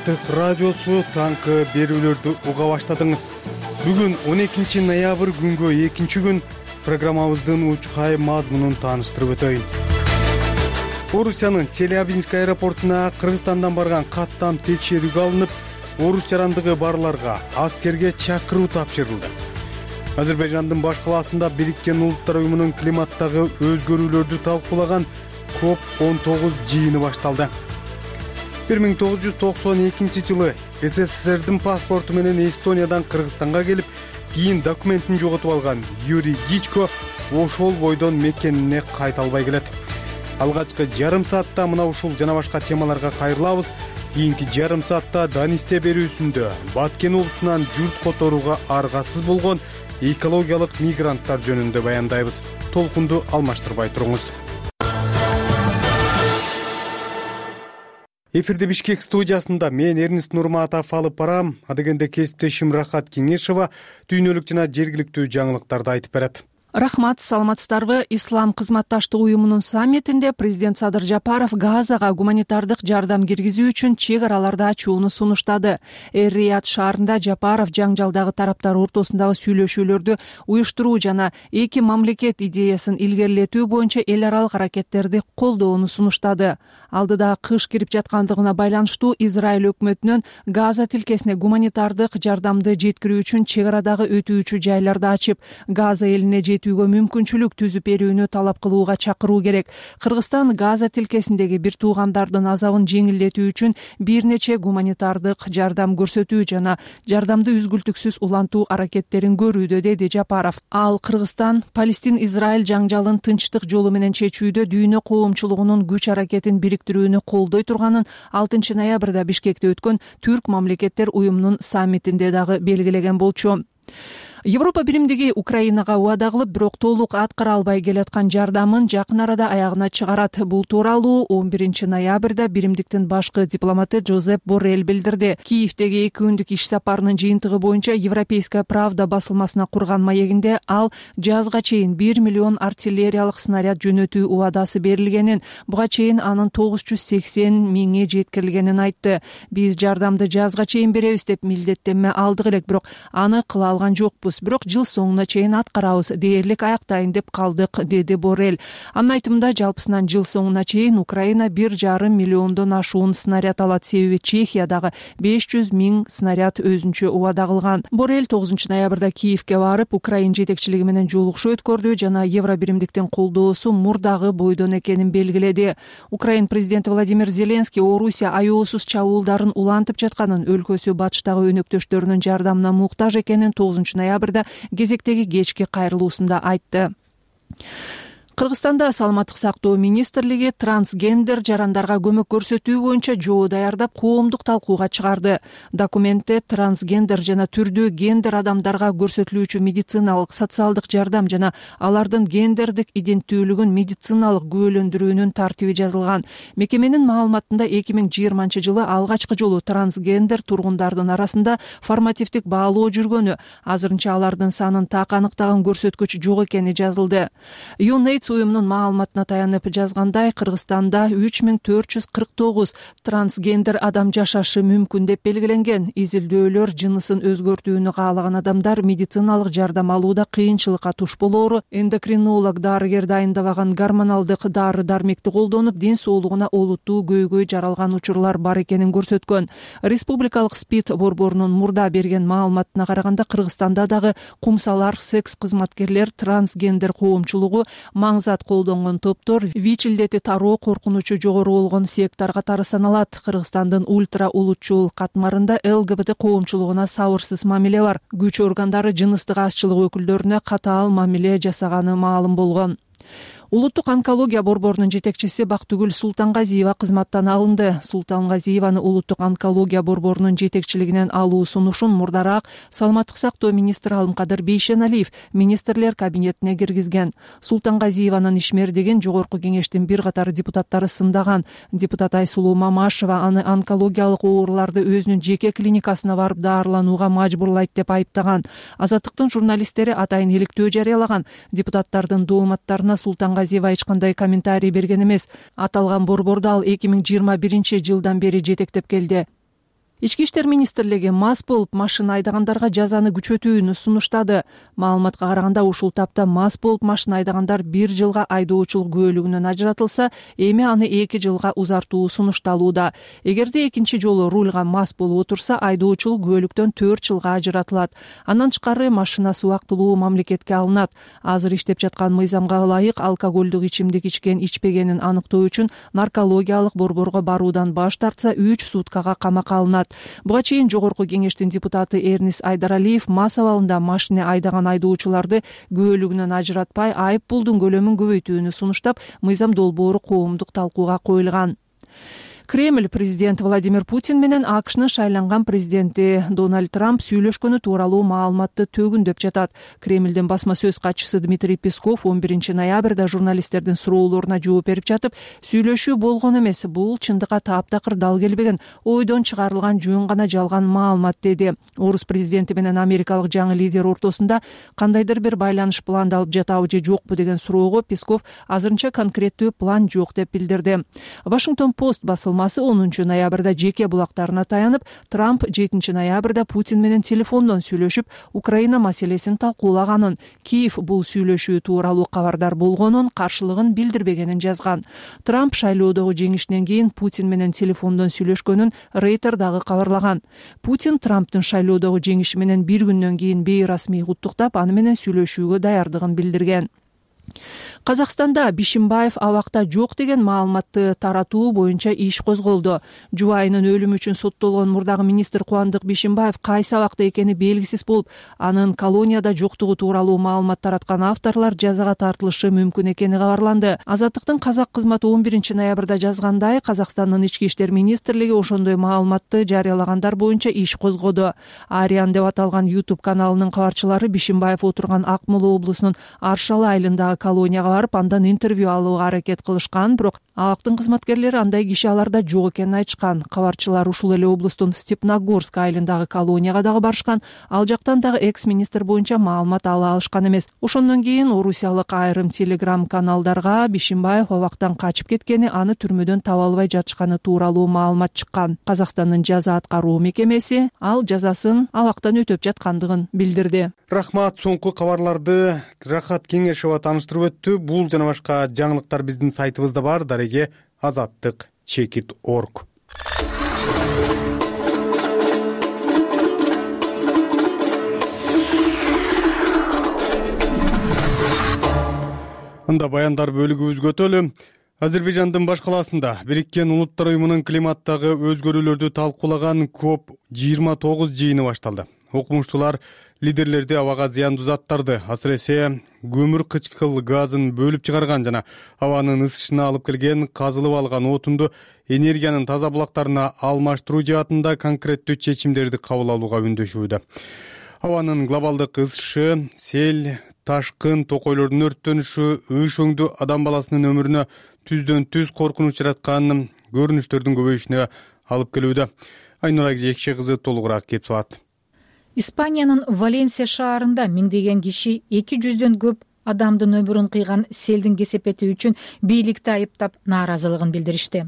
Азаттык радиосу таңкы берүүлөрдү уга баштадыңыз. Бүгүн 12 ноябрь күнгө экинчи күн. Программабыздын учкай мазмунун тааныштырып өтөйүн. Орусиянын Челябинск аэропортуна Кыргызстандан барган каттам текшерүүгө алынып, орус жарандыгы барларга аскерге чакыруу тапшырылды. Азербайжандын баш калаасында Бириккен Улуттар уюмунун климаттагы өзгөрүүлөрдү талкуулаган COP19 жыйыны башталды. 1992 жылы СССРдин паспорту менен Эстониядан Кыргызстанга келип, кийин документин жоготуп алган Юрий Гичко ошол бойдон мекенине кайта албай келет. Алгачкы жарым саатта мына ушул жана башка темаларга кайрылабыз. Кийинки жарым саатта Данисте берүүсүндө Баткен облусунан журт которууга аргасыз болгон экологиялык мигранттар жөнүндө баяндайбыз. Толкунду алмаштырбай туруңуз. Эфирде Бишкек студиясында мен Эрнест Нурматов алып барам. Адегенде кесиптешим Рахат Кеңешова дүйнөлүк жана жергиликтүү жаңылыктарды айтып берет. Рахмат, саламатсыздарбы? Ислам кызматташтык уюмунун саммитинде президент Садыр Жапаров Газага гуманитардык жардам киргизүү үчүн чек араларды ачууну сунуштады. Эр-Рияд шаарында Жапаров жаңжалдагы тараптар ортосундагы сүйлөшүүлөрдү уюштуруу жана эки мамлекет идеясын илгерилетүү боюнча эл аралык аракеттерди колдоону сунуштады. Алдыда кыш кирип жаткандыгына байланыштуу Израиль өкмөтүнөн Газа тилкесине гуманитардык жардамды жеткирүү үчүн чек арадагы өтүүчү жайларды ачып, Газа элине жетүүгө мүмкүнчүлүк түзүп берүүнү талап кылууга чакыруу керек. Кыргызстан Газа тилкесиндеги бир туугандардын азабын жеңилдетүү үчүн бир нече гуманитардык жардам көрсөтүү жана жардамды үзгүлтүксүз улантуу аракеттерин көрүүдө, деди Жапаров. Ал Кыргызстан Палестин-Израиль жаңжалын тынчтык жолу менен чечүүдө дүйнө коомчулугунун күч аракетин бириктирүүнү колдой турганын 6 ноябрда Бишкекте өткөн Түрк мамлекеттер уюмунун саммитинде дагы белгилеген болчу. Европа биримдиги Украинага убада кылып, бирок толук аткара албай келаткан жардамын жакын арада аягына чыгарат. Бул тууралуу 11 ноябрда биримдиктин башкы дипломаты Жозеп Боррелл билдирди. Киевдеги 2 күндүк иш сапарынын жыйынтыгы боюнча Европейская правда басылмасына курган маегинде ал жазга чейин 1 миллион артиллериялык снаряд жөнөтүү убадасы берилгенин, буга чейин анын 980 миңи жеткирилгенин айтты. Биз жардамды жазга чейин беребиз деп милдеттенме алдык элек, бирок аны кыла алган жокпуз. Бирок жыл соңуна чейин аткарабыз, дээрлик аяктайын деп калдык, деди Боррелл. Анын айтымында жалпысынан жыл соңуна чейин Украина 1,5 миллиондон ашуун снаряд алат, себеби Чехиядагы 500 миң снаряд өзүнчө убада кылган. Боррелл 9 ноябрда Киевге барып, Украин жетекчилиги менен жолугушуу өткөрдү жана Евро биримдиктин колдоосу мурдагы бойдон экенин белгиледи. Украин президенти Владимир Зеленский Орусия аеосуз чабуулдарын улантып жатканын, өлкөсү батыштагы өнөктөштөрүнүн жардамына муктаж экенин 9 ноябрда кезектеги кечки кайрылуусунда айтты. Кыргызстанда саламаттык сактоо министрлиги трансгендер жарандарга көмөк көрсөтүү боюнча жоо даярдап, коомдук талкууга чыгарды. Документте трансгендер жана түрдүү гендер адамдарга көрсөтүлүүчү медициналык, социалдык жардам жана алардын гендердик иденттүүлүгүн медициналык күбөлөндүрүүнүн тартиби жазылган. Мекеменин маалыматында 2020 жылы алгачкы жолу трансгендер тургундардын арасында формативдик баалоо жүргөнү, азырынча алардын санын так аныктаган көрсөткүч жок экени жазылды. Уюмунун маалыматына таянып жазгандай, Кыргызстанда 3449 трансгендер адам жашашы мүмкүн деп белгиленген. Изилдөөлөр жынысын өзгөртүүнү каалаган адамдар медициналык жардам алууда кыйынчылыкка туш болоору, эндокринолог дарыгер дайындабаган гормоналдык дары-дармекти колдонуп, ден соолугуна олуттуу көйгөй жаралган учурлар бар экенин көрсөткөн. Республикалык СПИД борборунун мурда берген маалыматына караганда, Кыргызстанда дагы кумсалар, секс кызматкерлер, трансгендер коомчулугу, маңзат колдонгон топтор, ВИЧ илдети тароо коркунучу жогору болгон сектор катары саналат. Кыргызстандын ультра улутчул катмарында ЛГБТ коомчулугуна сабырсыз мамиле бар. Күч органдары жыныстык азчылык өкүлдөрүнө катаал мамиле жасаганы маалым болгон. Улуттук онкология борборунун жетекчиси Бактыгүл Султангазиева кызматтан алынды. Султангазиеваны улуттук онкология борборунун жетекчилигинен алуу сунушун мурдараак саламаттык сактоо министри Алымкадыр Бейшеналиев министрлер кабинетине киргизген. Султангазиеванын ишмердигин жогорку кеңештин бир катар депутаттары сындаган. Депутат Айсулуу Мамашева аны онкологиялык ооруларды өзүнүн жеке клиникасына барып даарыланууга мажбурлайт деп айыптаган. Азаттыктын журналисттери атайын иликтөө жарыялаган. Депутаттардын дооматтарына Султангазиева эч кандай комментарий берген эмес. Аталган борборду ал 2021 жылдан бери жетектеп келди. Ички иштер министрлиги мас болуп машина айдагандарга жазаны күчөтүүнү сунуштады. Маалыматка караганда ушул тапта мас болуп машина айдагандар 1 жылга айдоочулук күбөлүгүнөн ажыратылса, эми аны 2 жылга узартуу сунушталууда. Эгерде экинчи жолу рульга мас болуп отурса, айдоочулук күбөлүктөн 4 жылга ажыратылат. Андан тышкары машинасы убактылуу мамлекетке алынат. Азыр иштеп жаткан мыйзамга ылайык алкоголдук ичимдик ичкен ичпегенин аныктоо үчүн наркологиялык борборго баруудан баш тартса 3 суткага камакка алынат. Буга чейин Жогорку кеңештин депутаты Эрнис Айдаралиев мас абалында машина айдаган айдоочуларды күбөлүгүнөн ажыратпай, айып пулдун көлөмүн көбөйтүүнү сунуштап, мыйзам долбоору коомдук талкууга коюлган. Кремль президент Владимир Путин менен АКШнын шайланган президенти Дональд Трамп сүйлөшкөнү тууралуу маалыматты төгүндөп жатат. Кремлдин басма сөз катчысы Дмитрий Песков 11 ноябрда журналисттердин суроолоруна жооп берип жатып, сүйлөшүү болгон эмес, бул чындыкка таптакыр дал келбеген, ойдон чыгарылган жөн гана жалган маалымат деди. Орус президенти менен америкалык жаңы лидер ортосунда кандайдыр бир байланыш пландалып жатабы же жокпу деген суроого Песков азырынча конкреттүү план жок деп билдирди. Washington Post басылмасы 10 ноябрда жеке булактарына таянып, Трамп 7 ноябрда Путин менен телефондон сүйлөшүп, Украина маселесин талкуулаганын, Киев бул сүйлөшүү тууралуу кабардар болгонун, каршылыгын билдирбегенин жазган. Трамп шайлоодогу жеңишинен кийин Путин менен телефондон сүйлөшкөнүн Рейтер дагы кабарлаган. Путин Трамптын шайлоодогу жеңиши менен 1 күндөн кийин бейрасмий куттуктап, аны менен сүйлөшүүгө даярдыгын билдирген. Казакстанда Бишимбаев абакта жок деген маалыматты таратуу боюнча иш козголду. Жубайынын өлүмү үчүн соттолгон мурдагы министр Кубандык Бишимбаев кайсы абакта экени белгисиз болуп, анын колонияда жоктугу тууралуу маалымат тараткан авторлор жазага тартылышы мүмкүн экени кабарланды. Азаттыктын казак кызматы 11 ноябрда жазгандай, Казакстандын ички иштер министрлиги ошондой маалыматты жарыялагандар боюнча иш козгоду. Ариан деп аталган YouTube каналынын кабарчылары Бишимбаев отурган Ак Мола облусунун Аршалы айылындагы колонияга барып, андан интервью алууга аракет кылышкан, бирок абактын кызматкерлери андай киши аларда жок экенин айтышкан. Кабарчылар ушул эле облустун Степногорск айылындагы колонияга дагы барышкан. Ал жактан дагы экс-министр боюнча маалымат ала алышкан эмес. Ошондон кийин орусиялык айрым телеграм каналдарга Бишимбаев абактан качып кеткени, аны түрмөдөн таба албай жатышканы тууралуу маалымат чыккан. Казакстандын жаза аткаруу мекемеси ал жазасын абактан өтөп жаткандыгын билдирди. Рахмат, соңку кабарларды Рахат Кеңешова тааныштырып өттү. Бул жана башка жаңылыктар биздин сайтыбызда бар. Дареге azаттык.org. Анда баяндар бөлүгүбүзгө өтөлү. Азербайжандын баш калаасында Бириккен Улуттар уюмунун климаттагы өзгөрүүлөрдү талкуулаган COP29 жыйыны башталды. Окумуштуулар лидерлерди абага зыяндуу заттарды, асыресе көмүр кычкыл газын бөлүп чыгарган жана абанын ысышына алып келген казылып алган отунду энергиянын таза булактарына алмаштыруу жаатында конкреттүү чечимдерди кабыл алууга үндөшүүдө. Абанын глобалдык ысышы, сел, ташкын, токойлордун өрттөнүшү, ыш өңдүү адам баласынын өмүрүнө түздөн түз коркунуч жараткан көрүнүштөрдүн көбөйүшүнө алып келүүдө. Айнура Жекше кызы толугураак кеп салат. Испаниянын Валенсия шаарында миңдеген киши 200дөн көп адамдын өмүрүн кыйган селдин кесепети үчүн бийликти айыптап нааразылыгын билдиришти.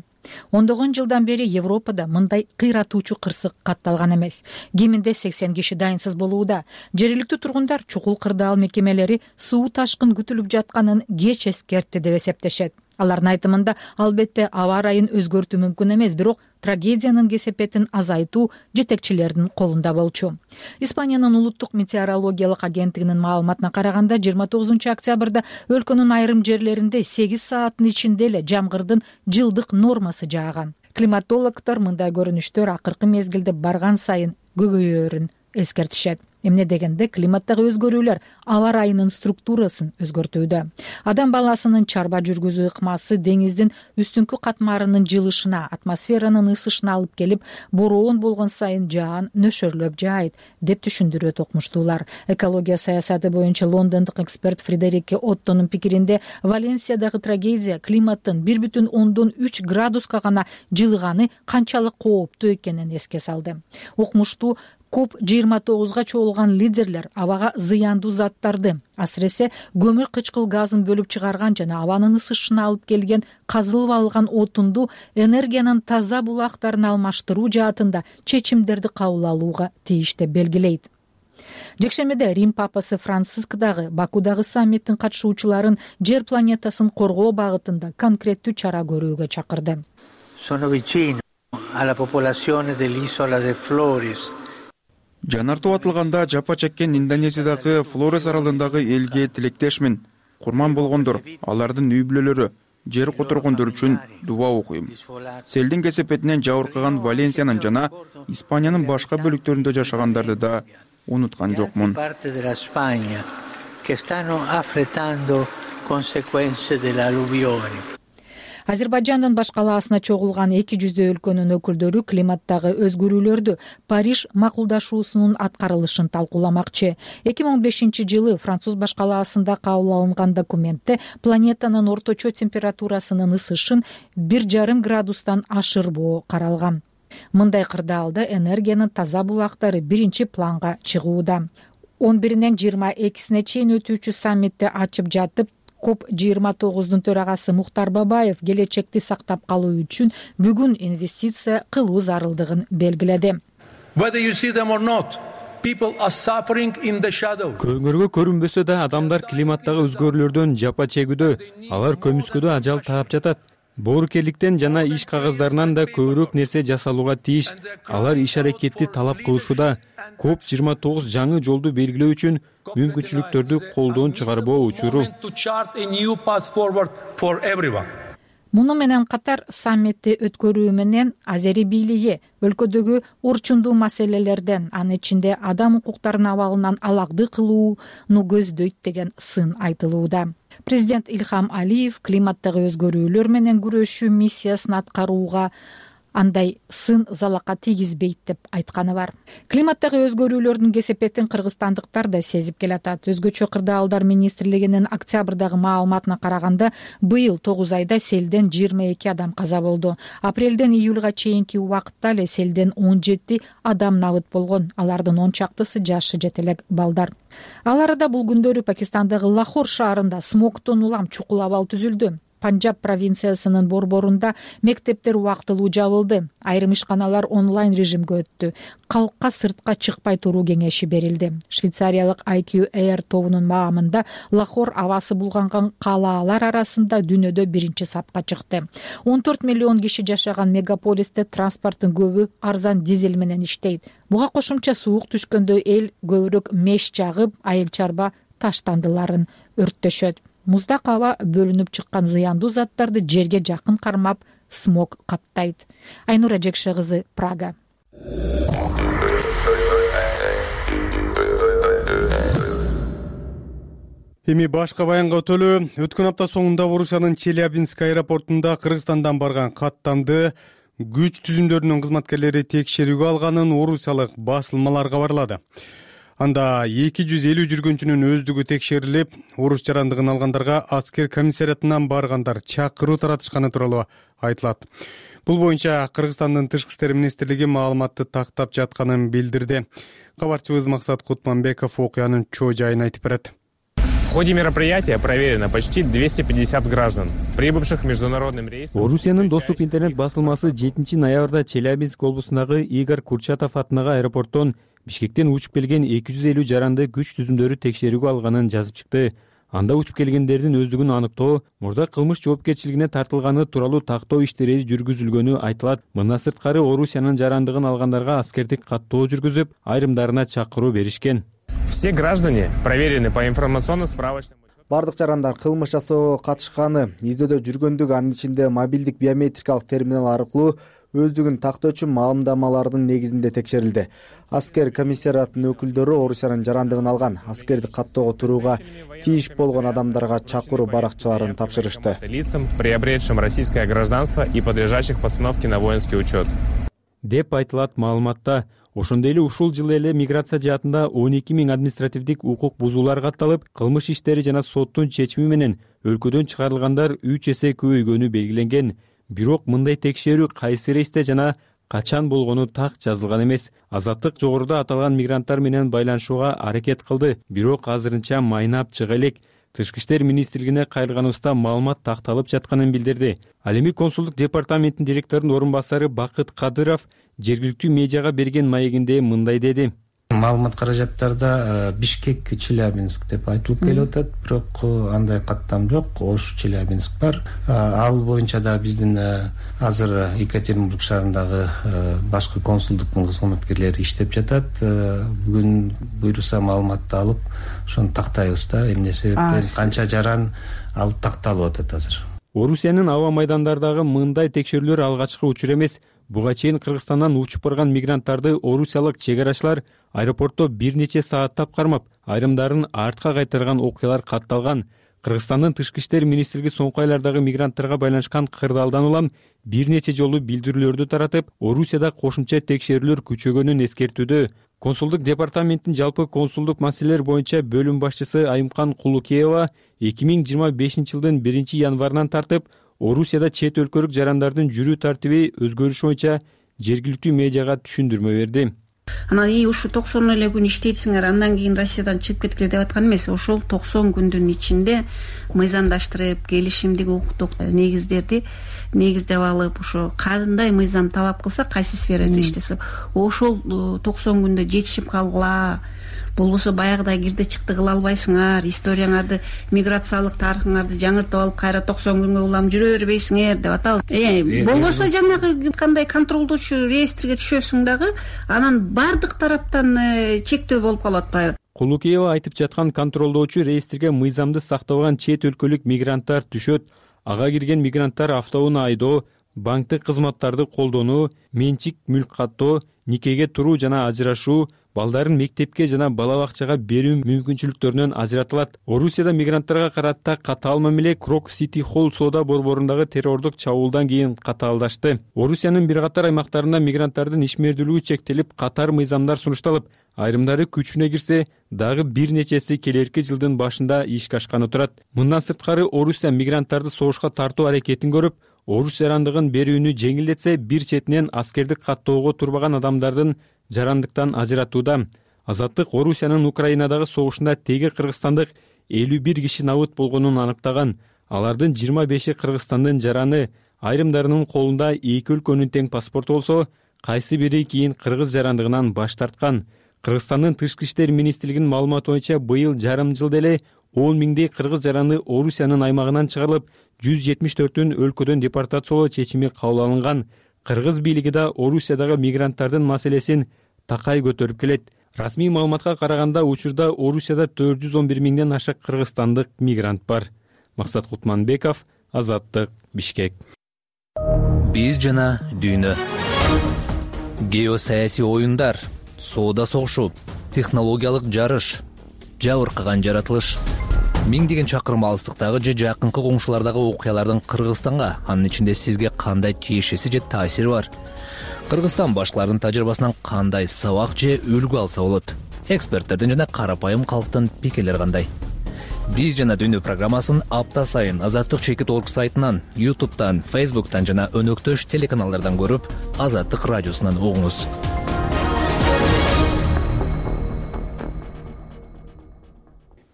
Ондогон жылдан бери Европада мындай кыйратуучу кырсык катталган эмес. Кеминде 80 киши дайынсыз болууда. Жергиликтүү тургундар чукул кырдаал мекемелери суу ташкын күтүлүп жатканын кеч эскертти деп эсептешет. Алардын айтымында, албетте аба ырайын өзгөртүү мүмкүн эмес, бирок трагедиянын кесепетин азайтуу жетекчилердин колунда болчу. Испаниянын улуттук метеорологиялык агенттигинин маалыматына караганда, 29 октябрда өлкөнүн айрым жерлеринде 8 сааттын ичинде эле жамгырдын жылдык нормасы жааган. Климатологдор мындай көрүнүштөр акыркы мезгилде барган сайын көбөйөөрүн эскертишет. Эмне дегенде, климаттагы өзгөрүүлөр аба ырайынын структурасын өзгөртүүдө. Адам баласынын чарба жүргүзүү ыкмасы деңиздин үстүңкү катмарынын жылышына, атмосферанын ысышына алып келип, бороон болгон сайын жаан нөшөрлөп жаайт, деп түшүндүрөт окумуштуулар. Экология саясаты боюнча лондондук эксперт Фредерике Оттонун пикиринде, Валенсиядагы трагедия климаттын 1,3 градуска гана жылыганы канчалык кооптуу экенин эске салды. Окумуштуу COP29 чогулган лидерлер абага зыяндуу заттарды, асыресе көмүр кычкыл газын бөлүп чыгарган жана абанын ысышына алып келген казылып алган отунду энергиянын таза булактарына алмаштыруу жаатында чечимдерди кабыл алууга тийиш деп белгилейт. Жекшембиде Рим папасы Франциск дагы Бакудагы саммиттин катышуучуларын жер планетасын коргоо багытында конкреттүү чара көрүүгө чакырды. Жанартоо атылганда жапа чеккен Индонезиядагы Флорес аралындагы элге тилектешмин. Курман болгондор, алардын үй бүлөлөрү, жер которгондор үчүн дуба окуйм. Селдин кесепетинен жабыркаган Валенсиянын жана Испаниянын башка бөлүктөрүндө жашагандарды да унуткан жокмун. Азербайжандын баш калаасына чогулган 200 өлкөнүн өкүлдөрү климаттагы өзгөрүүлөрдү Париж макулдашуусунун аткарылышын талкууламакчы. 2015-жылы Француз баш калаасында кабыл алынган документте планетанын орточо температурасынын ысышын 1,5 градустан ашырбоо каралган. Мындай кырдаалда энергиянын таза булактары биринчи планга чыгууда. 11-нен 22-сине чейин өтүүчү саммитти ачып жатып, COP29 төрагасы Мухтар Бабаев келечекти сактап калуу үчүн бүгүн инвестиция кылуу зарылдыгын белгиледи. Көңөргө көрүнбөсө да адамдар климаттагы өзгөрүүлөрдөн жапа чегүүдө, алар көмүскөдө ажал таап жатат. Боорукерликтен жана иш кагаздарынан да көбүрөөк нерсе жасалууга тийиш. Алар иш аракетти талап кылышууда. COP29 жаңы жолду белгилөө үчүн мүмкүнчүлүктөрдү колдон чыгарбоо учуру. Муну менен катар саммитти өткөрүү менен Азери бийлиги өлкөдөгү орчундуу маселелерден, анын ичинде адам укуктарынын абалынан алагды кылууну көздөйт деген сын айтылууда. Президент Ильхам Алиев климаттагы өзгөрүүлөр менен күрөшүү миссиясын аткарууга андай сын залака тийгизбейт деп айтканы бар. Климаттагы өзгөрүүлөрдүн кесепетин кыргызстандыктар да сезип келатат. Өзгөчө кырдаалдар министрлигинин октябрдагы маалыматына караганда, быйыл 9 айда селден 22 адам каза болду. Апрелден июлга чейинки убакытта эле селден 17 адам набыт болгон. Алардын 10 чактысы жашы жете элек балдар. Ал арада бул күндөрү Пакистандагы Лахор шаарында смогтон улам чукул абал түзүлдү. Панджаб провинциясынын борборунда мектептер убактылуу жабылды. Айрым ишканалар онлайн режимге өттү. Калкка сыртка чыкпай туруу кеңеши берилди. Швейцариялык IQ Air тобунун маамында Лахор абасы булганган калаалар арасында дүйнөдө биринчи сапка чыкты. 14 миллион киши жашаган мегаполисте транспорттун көбү арзан дизель менен иштейт. Буга кошумча суук түшкөндө эл көбүрөөк меш жагып, айыл чарба таштандыларын өрттөшөт. Муздак аба бөлүнүп чыккан зыяндуу заттарды жерге жакын кармап, смог каптайт. Айнура Жекше кызы, Прага. Эми башка баянга өтөлү. Өткөн апта соңунда Орусиянын Челябинск аэропортунда Кыргызстандан барган каттамды күч түзүмдөрүнүн кызматкерлери текшерүүгө алганын орусиялык басылмалар кабарлады. Анда 250 жүргүнчүнүн өздүгү текшерилип, орус жарандыгын алгандарга аскер комиссариатынан баргандар чакыруу таратышканы тууралуу айтылат. Бул боюнча Кыргызстандын Тышкы иштер министрлиги маалыматты тактап жатканын билдирди. Кабарчыбыз Максат Кутманбеков окуянын чоо жайын айтып берет. В ходе мероприятия проверено почти 250 граждан, прибывших международным рейсом. Орусиянын доступ интернет басылмасы 7 ноябрда Челябинск облусундагы Игорь Курчатов атындагы аэропорттон Бишкектен учуп келген 250 жаранды күч түзүмдөрү текшерүүгө алганын жазып чыкты. Анда учуп келгендердин өздүгүн аныктоо, мурда кылмыш жоопкерчилигине тартылганы тууралуу тактоо иштери жүргүзүлгөнү айтылат. Мындан сырткары Орусиянын жарандыгын алгандарга аскердик каттоо жүргүзүп, айрымдарына чакыруу беришкен. Все граждане проверены по информационно-справочному. Бардык жарандар кылмыш жасоого катышканы, издөөдө жүргөндүгү, анын ичинде мобилдик биометрикалык терминал аркылуу өздүгүн тактоочу маалымдамалардын негизинде текшерилди. Аскер комиссариатынын өкүлдөрү Орусиянын жарандыгын алган, аскерди каттоого турууга тийиш болгон адамдарга чакыруу баракчаларын тапшырышты. Лицам, приобретшим российское гражданство и подлежащих постановке на воинский учет. Деп айтылат маалыматта. Ошондой эле ушул жылы эле миграция жаатында 12 000 административдик укук бузуулар катталып, кылмыш иштери жана соттун чечими менен өлкөдөн чыгарылгандар 3 эсе көбөйгөнү белгиленген. Бирок мындай текшерүү кайсы рейсте жана качан болгону так жазылган эмес. Азаттык жогоруда аталган мигранттар менен байланышууга аракет кылды, бирок азырынча майнап чыга элек. Тышкы иштер министрлигине кайрылганыбызда маалымат такталып жатканын билдирди. Ал эми консулдук департаменттин директорунун орун басары Бакыт Кадыров жергиликтүү медиага берген маегинде мындай деди. Маалымат каражаттарда Бишкек, Челябинск деп айтылып келип атат, бирок андай каттам жок. Ош, Челябинск бар. Ал боюнча да биздин азыр Екатеринбург шаарындагы башкы консулдуктун кызматкерлери иштеп жатат. Бүгүн буйруса маалыматты алып, ошону тактайбыз да. Эмне себептен канча жаран ал такталып атат азыр. Орусиянын аба майдандарындагы мындай текшерүүлөр алгачкы учур эмес. Буга чейин Кыргызстандан учуп барган мигранттарды орусиялык чек арачылар аэропортто бир нече сааттап кармап, айрымдарын артка кайтарган окуялар катталган. Кыргызстандын Тышкы иштер министрлиги соңку айлардагы мигранттарга байланышкан кырдаалдан улам бир нече жолу билдирүүлөрдү таратып, Орусияда кошумча текшерүүлөр күчөгөнүн эскертүүдө. Консулдук департаменттин жалпы консулдук маселелер боюнча бөлүм башчысы Айымкан Кулукеева 2025-жылдын 1-январынан тартып Орусияда чет өлкөлүк жарандардын жүрүү тартиби өзгөрүшү боюнча жергиликтүү медиага түшүндүрмө берди. Анан ушу 90 эле күн иштейсиңер, андан кийин Россиядан чыгып кеткиле деп аткан эмес. Ошол 90 күндүн ичинде мыйзамдаштырып, келишимдик укуктук негиздерди негиздеп алып, ошо кандай мыйзам талап кылса, кайсы сферада иштесе, ошол 90 күндө жетишип калгыла. Болбосо баягыдай кирди чыкты кыла албайсыңар, историяңарды, миграциялык тарыхыңарды жаңыртып алып, кайра 90 күнгө улам жүрө бербейсиңер деп атабыз. Болбосо жанагы кандай контролдоочу реестрге түшөсүң дагы, анан бардык тараптан чектөө болуп калып атпайбы? Кулукеева айтып жаткан контролдоочу реестрге мыйзамды сактабаган чет өлкөлүк мигранттар түшөт. Ага кирген мигранттар автоунаа айдоо, банктык кызматтарды колдонуу, менчик мүлк каттоо, никеге туруу жана ажырашуу, балдарын мектепке жана бала бакчага берүү мүмкүнчүлүктөрүнөн ажыратылат. Орусияда мигранттарга карата катаал мамиле Крок Сити Холл соода борборундагы террордук чабуулдан кийин катаалдашты. Орусиянын бир катар аймактарында мигранттардын ишмердүүлүгү чектелип, катар мыйзамдар сунушталып, айрымдары күчүнө кирсе, дагы бир нечеси келерки жылдын башында ишке ашканы турат. Мындан сырткары Орусия мигранттарды согушка тартуу аракетин көрүп, орус жарандыгын берүүнү жеңилдетсе, бир четинен аскердик каттоого турбаган адамдардын жарандыктан ажыратууда. Азаттык Орусиянын Украинадагы согушунда теги кыргызстандык 51 киши набыт болгонун аныктаган. Алардын 25и Кыргызстандын жараны, айрымдарынын колунда эки өлкөнүн тең паспорту болсо, кайсы бири кийин кыргыз жарандыгынан баш тарткан. Кыргызстандын Тышкы иштер министрлигинин маалыматы боюнча быйыл жарым жылда эле 10 миңдей кыргыз жараны Орусиянын аймагынан чыгарылып, 174-өн өлкөдөн депортациялоо чечими кабыл алынган. Кыргыз бийлиги да Орусиядагы мигранттардын маселесин такай көтөрүп келет. Расмий маалыматка караганда, учурда Орусияда 411 миңден ашык кыргызстандык мигрант бар. Максат Кутманбеков, Азаттык, Бишкек. Биз жана дүйнө. Геосаясий оюндар, соода согушу, технологиялык жарыш, жабыркаган жаратылыш. Миңдеген чакырым алыстыктагы же жакынкы коңшулардагы окуялардын Кыргызстанга, анын ичинде сизге кандай тиешеси же таасири бар? Кыргызстан башкалардын тажрыйбасынан кандай сабак же үлгү алса болот? Эксперттердин жана карапайым калктын пикирлери кандай? Биз жана дүйнө программасын апта сайын Азаттык Чекит.org сайтынан, YouTube'дан, Facebook'тан жана өнөктөш телеканалдардан көрүп, Азаттык радиосунан угуңуз.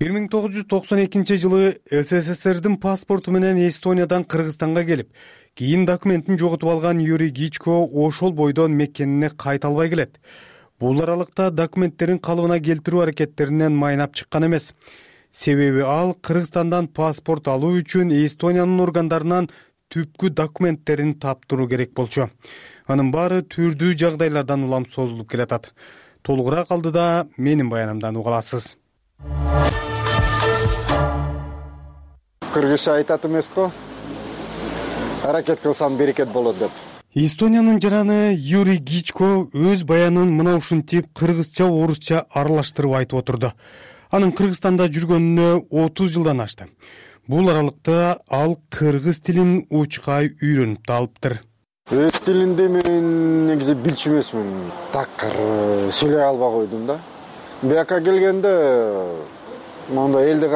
1992-жылы СССРдин паспорту менен Эстониядан Кыргызстанга келип, кийин документин жоготуп алган Юрий Гичко ошол бойдон мекенине кайта албай келет. Бул аралыкта документтерин калыбына келтирүү аракеттеринен майнап чыккан эмес. Себеби ал Кыргызстандан паспорт алуу үчүн Эстониянын органдарынан түпкү документтерин таптыруу керек болчу. Анын баары түрдүү жагдайлардан улам созулуп келатат. Толугураак алдыда менин баянымдан уга аласыз. Кыргызча айтат эмес-ко? Аракет кылсам берекет болот деп. Эстониянын жараны Юрий Гичко өз баянын мына ушинтип кыргызча, орусча аралаштырып айтып отурду. Анын Кыргызстанда жүргөнүнө 30 жылдан ашты. Бул аралыкта ал кыргыз тилин учкай үйрөнүп да алыптыр. Өз тилинде мен негизи билчү эмесмин. Такыр сүйлөй албай койдум да. Бияка келгенде монда элди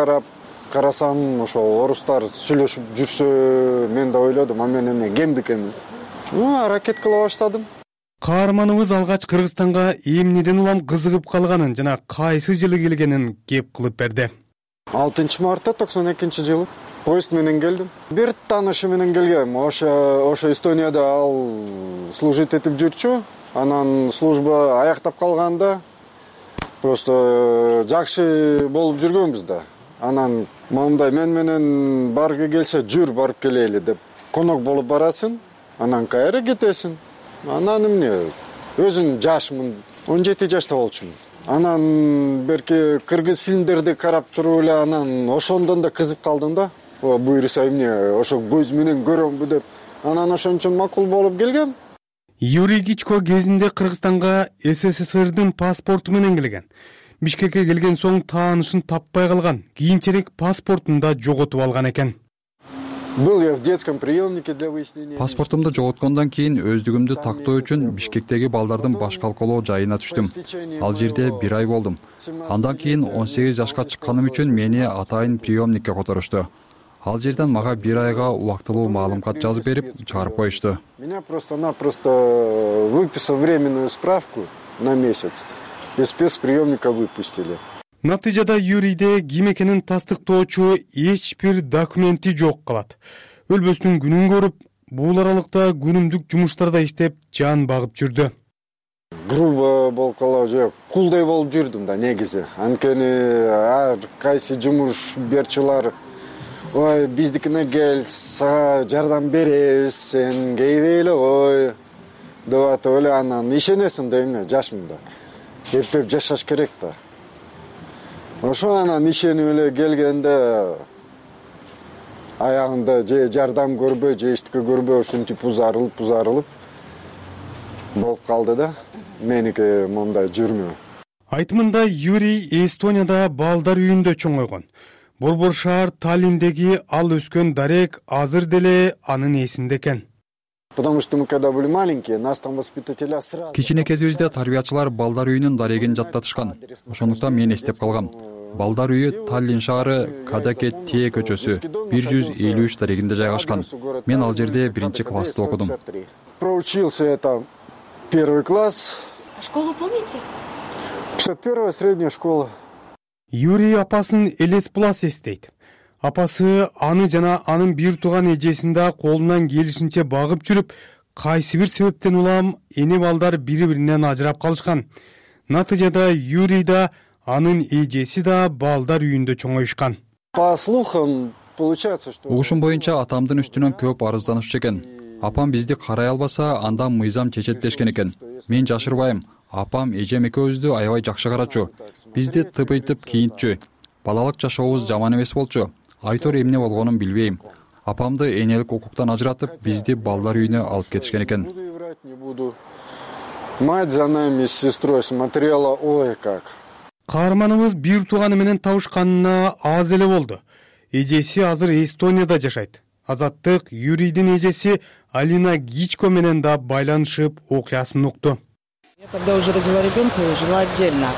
карасам, ошо орустар сүйлөшүп жүрсө, мен да ойлодум, мен эмне кем бекенмин. Аракет кыла баштадым. Каарманыбыз алгач Кыргызстанга эмнеден улам кызыгып калганын жана кайсы жылы келгенин кеп кылып берди. 6 мартта 92-жылы поезд менен келдим. Бир таанышы менен келгем. Ошо Эстонияда ал служить этип жүрчү. Анан служба аяктап калганда просто жакшы болуп жүргөнбүз да. Анан моундай мен менен баргы келсе жүр барып келели деп конок болуп барасың. Анан кайра кетесиң. Анан эмне өзүң жашмын 17 жашта болчумун. Анан берки кыргыз фильмдерди карап туруп эле анан ошондон да кызып калдым да. Буюрса эмне ошо көз менен көрөмбү деп. Анан ошон үчүн макул болуп келгем. Юрий Гичко кезинде Кыргызстанга СССРдин паспорту менен келген. Бишкекке келген соң таанышын таппай калган. Кийинчерээк паспортун да жоготуп алган экен. Был я в детском приемнике для выяснения. Паспортумду жоготкондон кийин өздүгүмдү тактоо үчүн Бишкектеги балдардын баш калкалоо жайына түштүм. Ал жерде 1 ай болдум. Андан кийин 18 жашка чыкканым үчүн мени атайын приемникке которушту. Ал жерден мага 1 айга убактылуу маалымат жазып берип, чыгарып коюшту. Меня просто-напросто выписав временную справку на месяц. Из спецприемника выпустили. Натыйжада Юрийде ким экенин тастыктоочу эч бир документи жок калат. Өлбөстүн күнүн көрүп, бул аралыкта күнүмдүк жумуштарда иштеп, жан багып жүрдү. Грубо болуп калып же кулдай болуп жүрдүм да негизи. Анткени ар кайсы жумуш берчилер ой, биздикине кел, сага жардам беребиз, сен кейбейле ой деп атып эле анан ишенесиң да эмне жашмын да. Эптеп жашаш керек да. Ошо анан ишенип эле келгенде аягында же жардам көрбөй, же эчтеке көрбөй ушинтип узарылып болуп калды да. Меники мондай жүрмө. Айтымында Юрий Эстонияда балдар үйүндө чоңойгон. Борбор шаар Таллиндеги ал өскөн дарек азыр деле анын эсинде экен. Потому что мы когда были маленькие, нас там воспитателя сразу. Кичине кезибизде тарбиячылар балдар үйүнүн дарегин жаттатышкан. Ошондуктан мен эстеп калгам. Балдар үйү Таллин шаары Кадаке Тие көчөсү 153 дарегинде жайгашкан. Мен ал жерде 1-классты окудум. Проучился я там 1 класс. Школу помните? 51-я средняя школа. Юрий апасын элес булас эстейт. Апасы аны жана анын бир тууган эжесин да колунан келишинче багып жүрүп, кайсы бир себептен улам эне балдар бири-биринен ажырап калышкан. Натыйжада Юрий да анын эжеси да балдар үйүндө чоңоюшкан. По слухам получается, что угушум боюнча атамдын үстүнөн көп арызданышчу экен. Апам бизди карай албаса, андан мыйзам чечет дешкен экен. Мен жашырбайм. Апам эжем экөөбүздү аябай жакшы карачу. Бизди тыпыйтып кийинтчү. Балалык жашообуз жаман эмес болчу. Айтор эмне болгонун билбейм. Апамды энелик укуктан ажыратып, бизди балдар үйүнө алып кетишкен экен. Мать за нами с сестрой смотрела, ой как. Каарманыбыз бир тууганы менен табышканына аз эле болду. Эжеси азыр Эстонияда жашайт. Азаттык Юрийдин эжеси Алина Гичко менен да байланышып окуясын укту. Я когда уже родила ребенка, я жила отдельно.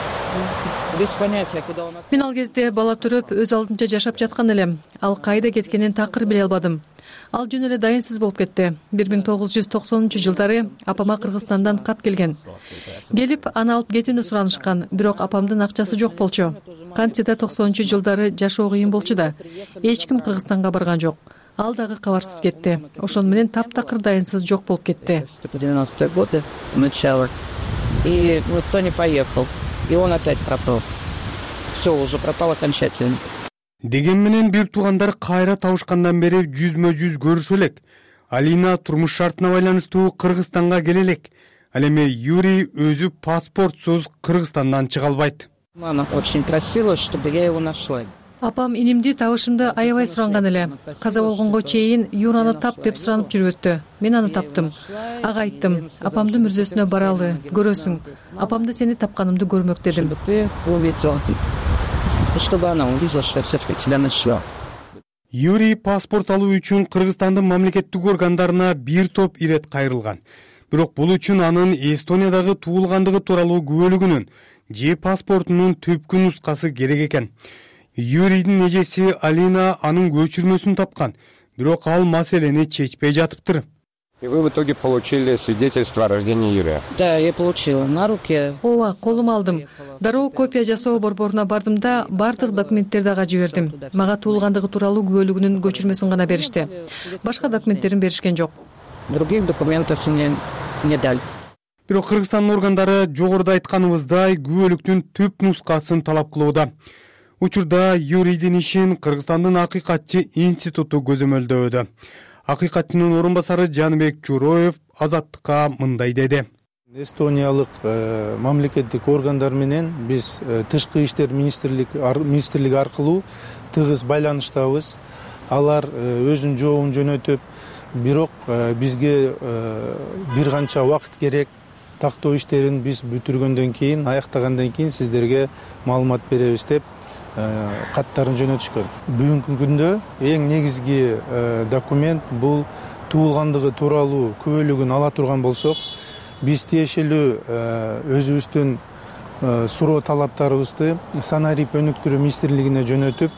Без понятия, куда он. Мен ал кезде бала төрөп өз алдынча жашап жаткан элем. Ал кайда кеткенин такыр биле албадым. Ал жөн эле дайынсыз болуп кетти. 1990-жылдары апама Кыргызстандан кат келген. Келип аны алып кетүүнү суранышкан, бирок апамдын акчасы жок болчу. Кантсе да 90-жылдары жашоо кыйын болчу да. Эч ким Кыргызстанга барган жок. Ал дагы кабарсыз кетти. Ошон менен таптакыр дайынсыз жок болуп кетти. 90-е годы начало. И никто не поехал. И он опять пропал. Все, уже пропал окончательно. Деген менен бир туугандар кайра табышкандан бери жүзмө-жүз көрүшө элек. Алина турмуш шартына байланыштуу Кыргызстанга келе элек. Ал эми Юрий өзү паспортсуз Кыргызстандан чыга албайт. Мама очень просила, чтобы я его нашла. Апам инимди табышымды аябай суранган эле. Каза болгонго чейин Юраны тап деп суранып жүрүптү. Мен аны таптым. Ага айттым, апамдын мүрзөсүнө баралы, көрөсүң. Апамды сени тапканымды көрмөк дедим. Чтобы она увидела, что я все-таки тебя нашла. Юрий паспорт алуу үчүн Кыргызстандын мамлекеттик органдарына бир топ ирет кайрылган. Бирок бул үчүн анын Эстониядагы туулгандыгы тууралуу күбөлүгүнүн же паспортунун түпкү нускасы керек экен. Юрийдин эжеси Алина анын көчүрмөсүн тапкан, бирок ал маселени чечпей жатыптыр. И вы в итоге получили свидетельство о рождении Юрия? Да, я получила на руке. Ооба, колума алдым. Дароо копия жасоо борборуна бардым да бардык документтерди ага жибердим. Мага туулгандыгы тууралуу күбөлүгүнүн көчүрмөсүн гана беришти. Башка документтерин беришкен жок. Других документов мне не дали. Бирок Кыргызстандын органдары жогоруда айтканыбыздай күбөлүктүн түп нускасын талап кылууда. Учурда Юрийдин ишин Кыргызстандын Акыйкатчы институту көзөмөлдөөдө. Акыйкатчынын орун басары Жаныбек Журоев Азаттыкка мындай деди. Эстониялык мамлекеттик органдар менен биз тышкы иштер министрлиги аркылуу тыгыз байланыштабыз. Алар өзүнүн жообун жөнөтүп, бирок бизге бир канча убакыт керек. Тактоо иштерин биз бүтүргөндөн кийин, аяктагандан кийин сиздерге маалымат беребиз деп каттарын жөнөтүшкөн. Бүгүнкү күндө эң негизги документ бул туулгандыгы тууралуу күбөлүгүн ала турган болсок, биз тиешелүү өзүбүздүн суроо талаптарыбызды Санарип өнүктүрүү министрлигине жөнөтүп,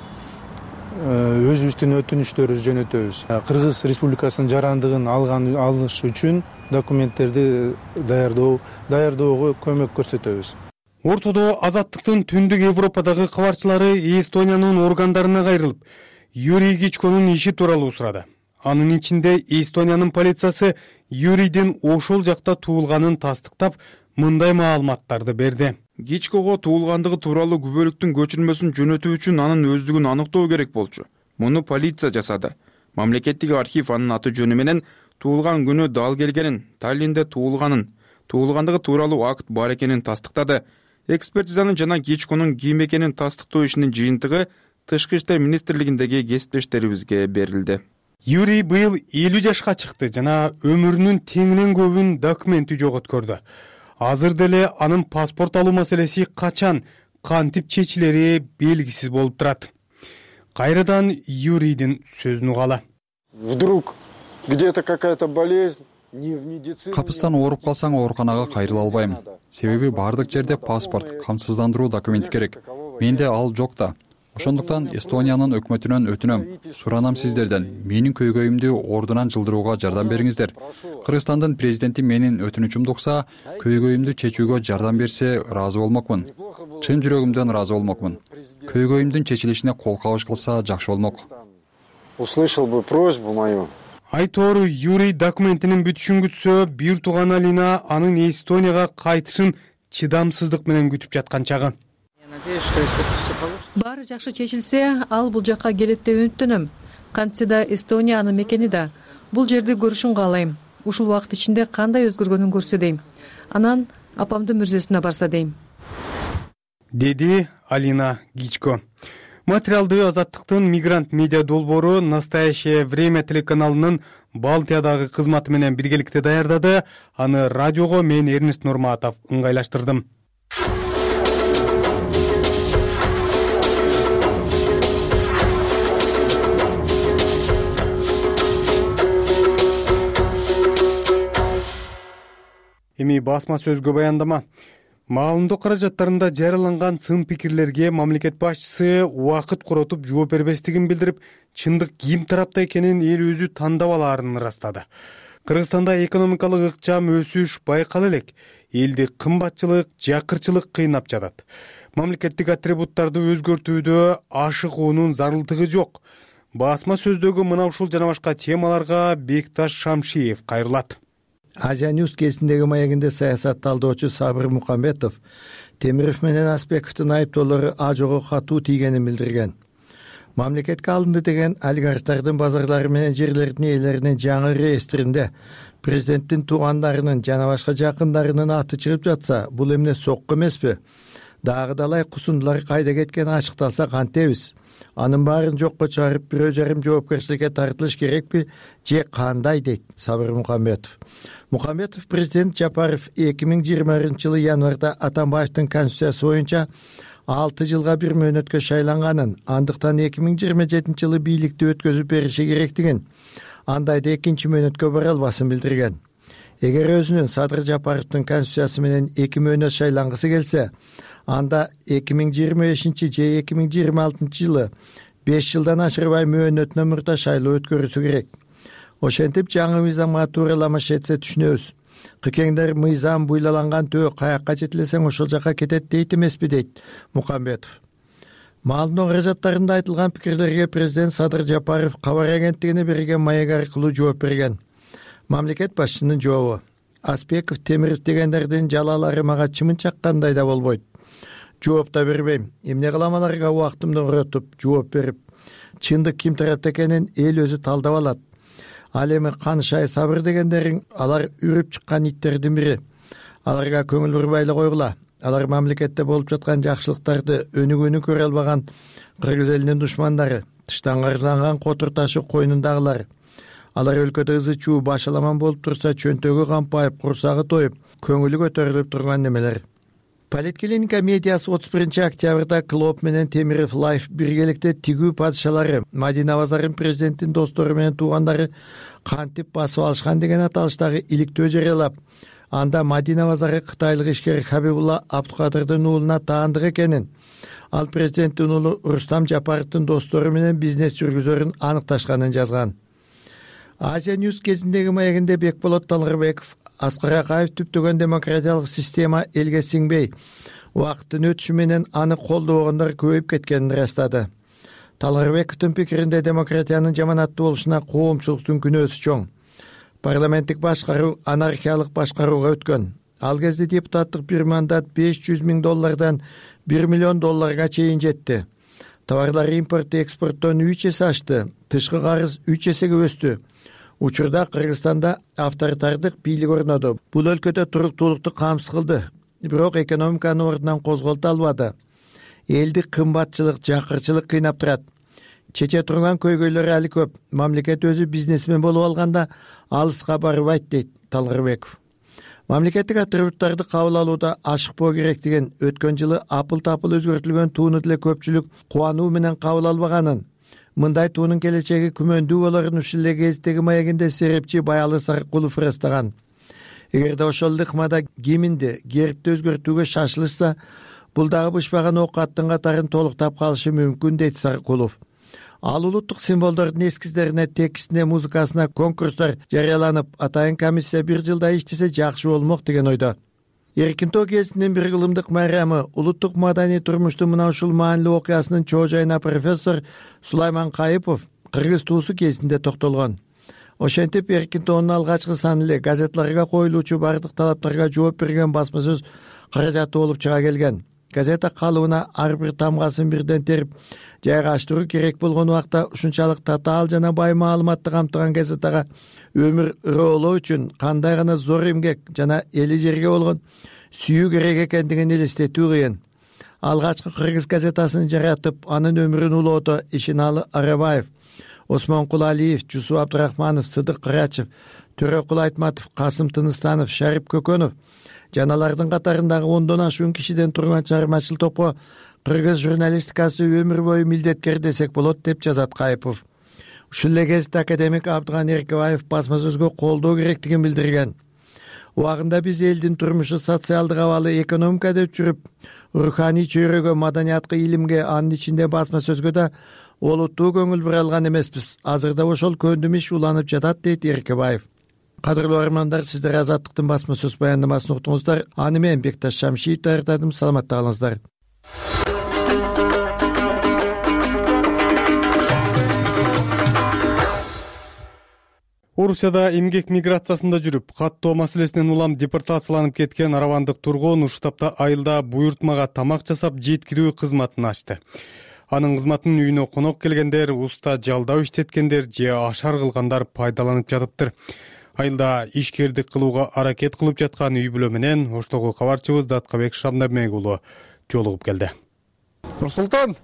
өзүбүздүн өтүнүчтөрүбүздү жөнөтөбүз. Кыргыз Республикасынын жарандыгын алыш үчүн документтерди даярдоого көмөк көрсөтөбүз. Ортодо Азаттыктын түндүк Европадагы кабарчылары Эстониянын органдарына кайрылып, Юрий Гичконун иши тууралуу сурады. Анын ичинде Эстониянын полициясы Юрийдин ошол жакта туулганын тастыктап, мындай маалыматтарды берди. Гичкого туулгандыгы тууралуу күбөлүктүн көчүрмөсүн жөнөтүү үчүн анын өздүгүн аныктоо керек болчу. Муну полиция жасады. Мамлекеттик архив анын аты жөнү менен туулган күнү дал келгенин, Таллинде туулгандыгы тууралуу акт бар экенин тастыктады. Экспертизанын жана Гичконун ким экенин тастыктоо ишинин жыйынтыгы Тышкы иштер министрлигиндеги кесиптештерибизге берилди. Юрий быйыл 50 жашка чыкты жана өмүрүнүн теңинен көбүн документи жоготкөрдү. Азыр деле анын паспорт алуу маселеси качан, кантип чечилери белгисиз болуп турат. Кайрадан Юрийдин сөзүн угалы. Вдруг где-то какая-то болезнь. Капыстан ооруп калсаң ооруканага кайрыла албайм. Себеби бардык жерде паспорт, камсыздандыруу документи керек. Менде ал жок да. Ошондуктан Эстониянын өкмөтүнөн өтүнөм. Суранам сиздерден, менин көйгөйүмдү ордунан жылдырууга жардам бериңиздер. Кыргызстандын президенти менин өтүнүчүмдү укса, көйгөйүмдү чечүүгө жардам берсе, ыраазы болмокмун. Чын жүрөгүмдөн ыраазы болмокмун. Көйгөйүмдүн чечилишине кол кабыш кылса жакшы болмок. Услышал бы просьбу мою. Айтор Юрий документинин бүтүшүн күтсө, бир тууган Алина анын Эстонияга кайтышын чыдамсыздык менен күтүп жаткан чагы. Баары жакшы чечилсе, ал бул жакка келет деп үмүттөнөм. Кантсе да Эстония анын мекени да. Бул жерди көрүшүн каалайм. Ушул убакыт ичинде кандай өзгөргөнүн көрсө дейм. Анан апамдын мүрзөсүнө барса дейм. Деди Алина Гичко. Материалды Азаттыктын мигрант медиа долбоору «Настоящее время» телеканалынын Балтиядагы кызматы менен биргеликте даярдады. Аны радиого мен Эрнест Нурматов ыңгайлаштырдым. Эми басма сөзгө баяндама. Маалымдоо каражаттарында жарыяланган сын пикирлерге мамлекет башчысы убакыт коротуп жооп бербестигин билдирип, чындык ким тарапта экенин эл өзү тандап алаарын ырастады. Кыргызстанда экономикалык ыкчам өсүш байкала элек. Элди кымбатчылык, жакырчылык кыйнап жатат. Мамлекеттик атрибуттарды өзгөртүүдө ашыгуунун зарылдыгы жок. Басма сөздөгү мына ушул жана башка темаларга Бекташ Шамшиев кайрылат. Азия Ньюс кезиндеги маегинде саясат талдоочу Сабыр Мукамбетов Темиров менен Аспековдун айыптоолору ажого катуу тийгенин билдирген. Мамлекетке алынды деген олигархтардын базарлары менен жерлердин ээлеринин жаңы реестринде президенттин туугандарынын жана башка жакындарынын аты чыгып жатса, бул эмне сокку эмеспи? Дагы далай кусундулар кайда кеткени ачыкталса кантебиз? Анын баарын жокко чыгарып, бирөө жарым жоопкерчиликке тартылыш керекпи же кандай, дейт Сабыр Мукамбетов. Мукамбетов президент Жапаров 2020-жылы январда Атамбаевдин конституциясы боюнча 6 жылга бир мөөнөткө шайланганын, андыктан 2027-жылы бийликти өткөзүп бериши керектигин, андайда экинчи мөөнөткө бара албасын билдирген. Эгер өзүнүн Садыр Жапаровдун конституциясы менен 2 мөөнөт шайлангысы келсе, анда 2025 же 2026 жылы 5 жылдан ашырбай мөөнөтүнөн мурда шайлоо өткөрүлсү керек. Ошентип жаңы мыйзамга туураламаш этсе түшүнөбүз. Кыкеңдер мыйзам буйлаланган төө каякка жетилесең ошол жака кетет дейт эмеспи, дейт Мукамбетов. Маалымдоо каражаттарында айтылган пикирлерге президент Садыр Жапаров кабар агенттигине берген маек аркылуу жооп берген. Мамлекет башчынын жообу: Аспеков, Темиров дегендердин жалалары мага чымын чаккандай да болбойт. Жооп да бербейм. Эмне кылам аларга убактымды уротуп жооп берип? Чындык ким тарапта экенин эл өзү талдап алат. Ал эми Канышай, Сабыр дегендерин алар үрүп чыккан иттердин бири. Аларга көңүл бурбай эле койгула. Алар мамлекетте болуп жаткан жакшылыктарды өнүгүүнү көрө албаган кыргыз элинин душмандары, тыштан каржыланган котур ташы койнундагылар. Алар өлкөдө ызы чуу башаламан болуп турса, чөнтөгү кампайып, курсагы тоюп, көңүлү көтөрүлүп турган немелер. Политклиника медиасы 31 октябрда Клоп менен Темиров Лайф биргеликте тигүү падышалары Мадина Базарын президенттин достору менен туугандары кантип басып алышкан деген аталыштагы иликтөө жарыялап, анда Мадина Базары кытайлык ишкер Хабибулла Абдукадырдын уулуна таандык экенин, ал президенттин уулу Рустам Жапаровдун достору менен бизнес жүргүзөрүн аныкташканын жазган. Азия Ньюс кезиндеги маегинде Бекболот Талгырбеков Аскар Акаев түптөгөн демократиялык система элге сиңбей, убакыттын өтүшү менен аны колдобогондор көбөйүп кеткенин ырастады. Талгырбековдун пикиринде демократиянын жаманаттуу болушуна коомчулуктун күнөөсү чоң. Парламенттик башкаруу анархиялык башкарууга өткөн. Ал кезде депутаттык бир мандат $500,000 $1 миллион чейин жетти. Товарлар импорт экспорттон 3 эсе ашты, тышкы карыз 3 эсеге өстү. Учурда Кыргызстанда авторитардык бийлик орноду. Бул өлкөдө туруктуулукту камсыз кылды, бирок экономиканы ордунан козголто албады. Элди кымбатчылык, жакырчылык кыйнап турат. Чече турган көйгөйлөр али көп. Мамлекет өзү бизнесмен болуп алганда алыска барбайт, дейт Талгырбеков. Мамлекеттик атрибуттарды кабыл алууда ашыкпоо керек деген өткөн жылы апыл-тапыл өзгөртүлгөн тууну деле көпчүлүк кубануу менен кабыл албаганын, мындай туунун келечеги күмөндүү болорун ушул эле кездеги маегинде серепчи Баялы Сарыкулов ырастаган. Эгерде ошол ыкмада гимнди, гербти өзгөртүүгө шашылышса, бул дагы бышпаган ок аттын катарын толуктап калышы мүмкүн, дейт Сарыкулов. Ал улуттук символдордун эскиздерине, текстине, музыкасына конкурстар жарыяланып, атайын комиссия бир жылда иштесе жакшы болмок деген ойдо. Эркин тоо кезинин бир кылымдык майрамы улуттук маданий турмуштун мына ушул маанилүү окуясынын чоо жайына профессор Сулайман Кайыпов кыргыз туусу кезинде токтолгон. Ошентип эркин тоонун алгачкы саны эле газеталарга коюлуучу бардык талаптарга жооп берген басма сөз каражаты болуп чыга келген. Газета калыбына ар бир тамгасын бирден терип жайгаштыруу керек болгон убакта ушунчалык татаал жана бай маалыматты камтыган газетага өмүр ыроолоо үчүн кандай гана зор эмгек жана эли жерге болгон сүйүү керек экендигин элестетүү кыйын. Алгачкы кыргыз газетасын жаратып, анын өмүрүн улоодо Ишиналы Арабаев, Осмонкул Алиев, Жусуп Абдырахманов, Сыдык Кырачев, Төрөкул Айтматов, Касым Тыныстанов, Шарип Көкөнов жаналардын катарындагы 10дон ашуун кишиден турган чыгармачыл топко кыргыз журналистикасы өмүр бою милдеткер десек болот, деп жазат Кайыпов. Ушул эле кезде академик Абдыган Эркебаев басма сөзгө колдоо керектигин билдирген. Убагында биз элдин турмушу социалдык абалы экономика деп жүрүп, руханий чөйрөгө, маданиятка, илимге, анын ичинде басма сөзгө да олуттуу көңүл бура алган эмеспиз. Азырда ошол көндүм иш уланып жатат, дейт Эркебаев. Кадырлуу армандар, сиздер Азаттыктын басма сөз баяндамасын уктуңуздар. Аны мен Бекташ Шамшиев даярдадым. Саламатта калыңыздар. Орусияда эмгек миграциясында жүрүп, каттоо маселесинен улам депортацияланып кеткен арабандык тургун ушул тапта айылда буйртмага тамак жасап жеткирүү кызматын ачты. Анын кызматын үйүнө конок келгендер, уста жалдап иштеткендер же ашар кылгандар пайдаланып жатыптыр. Айылда ишкердик кылууга аракет кылып жаткан үй бүлө менен оштогу кабарчыбыз Даткабек Шамдамек уулу жолугуп келди. Нурсултан,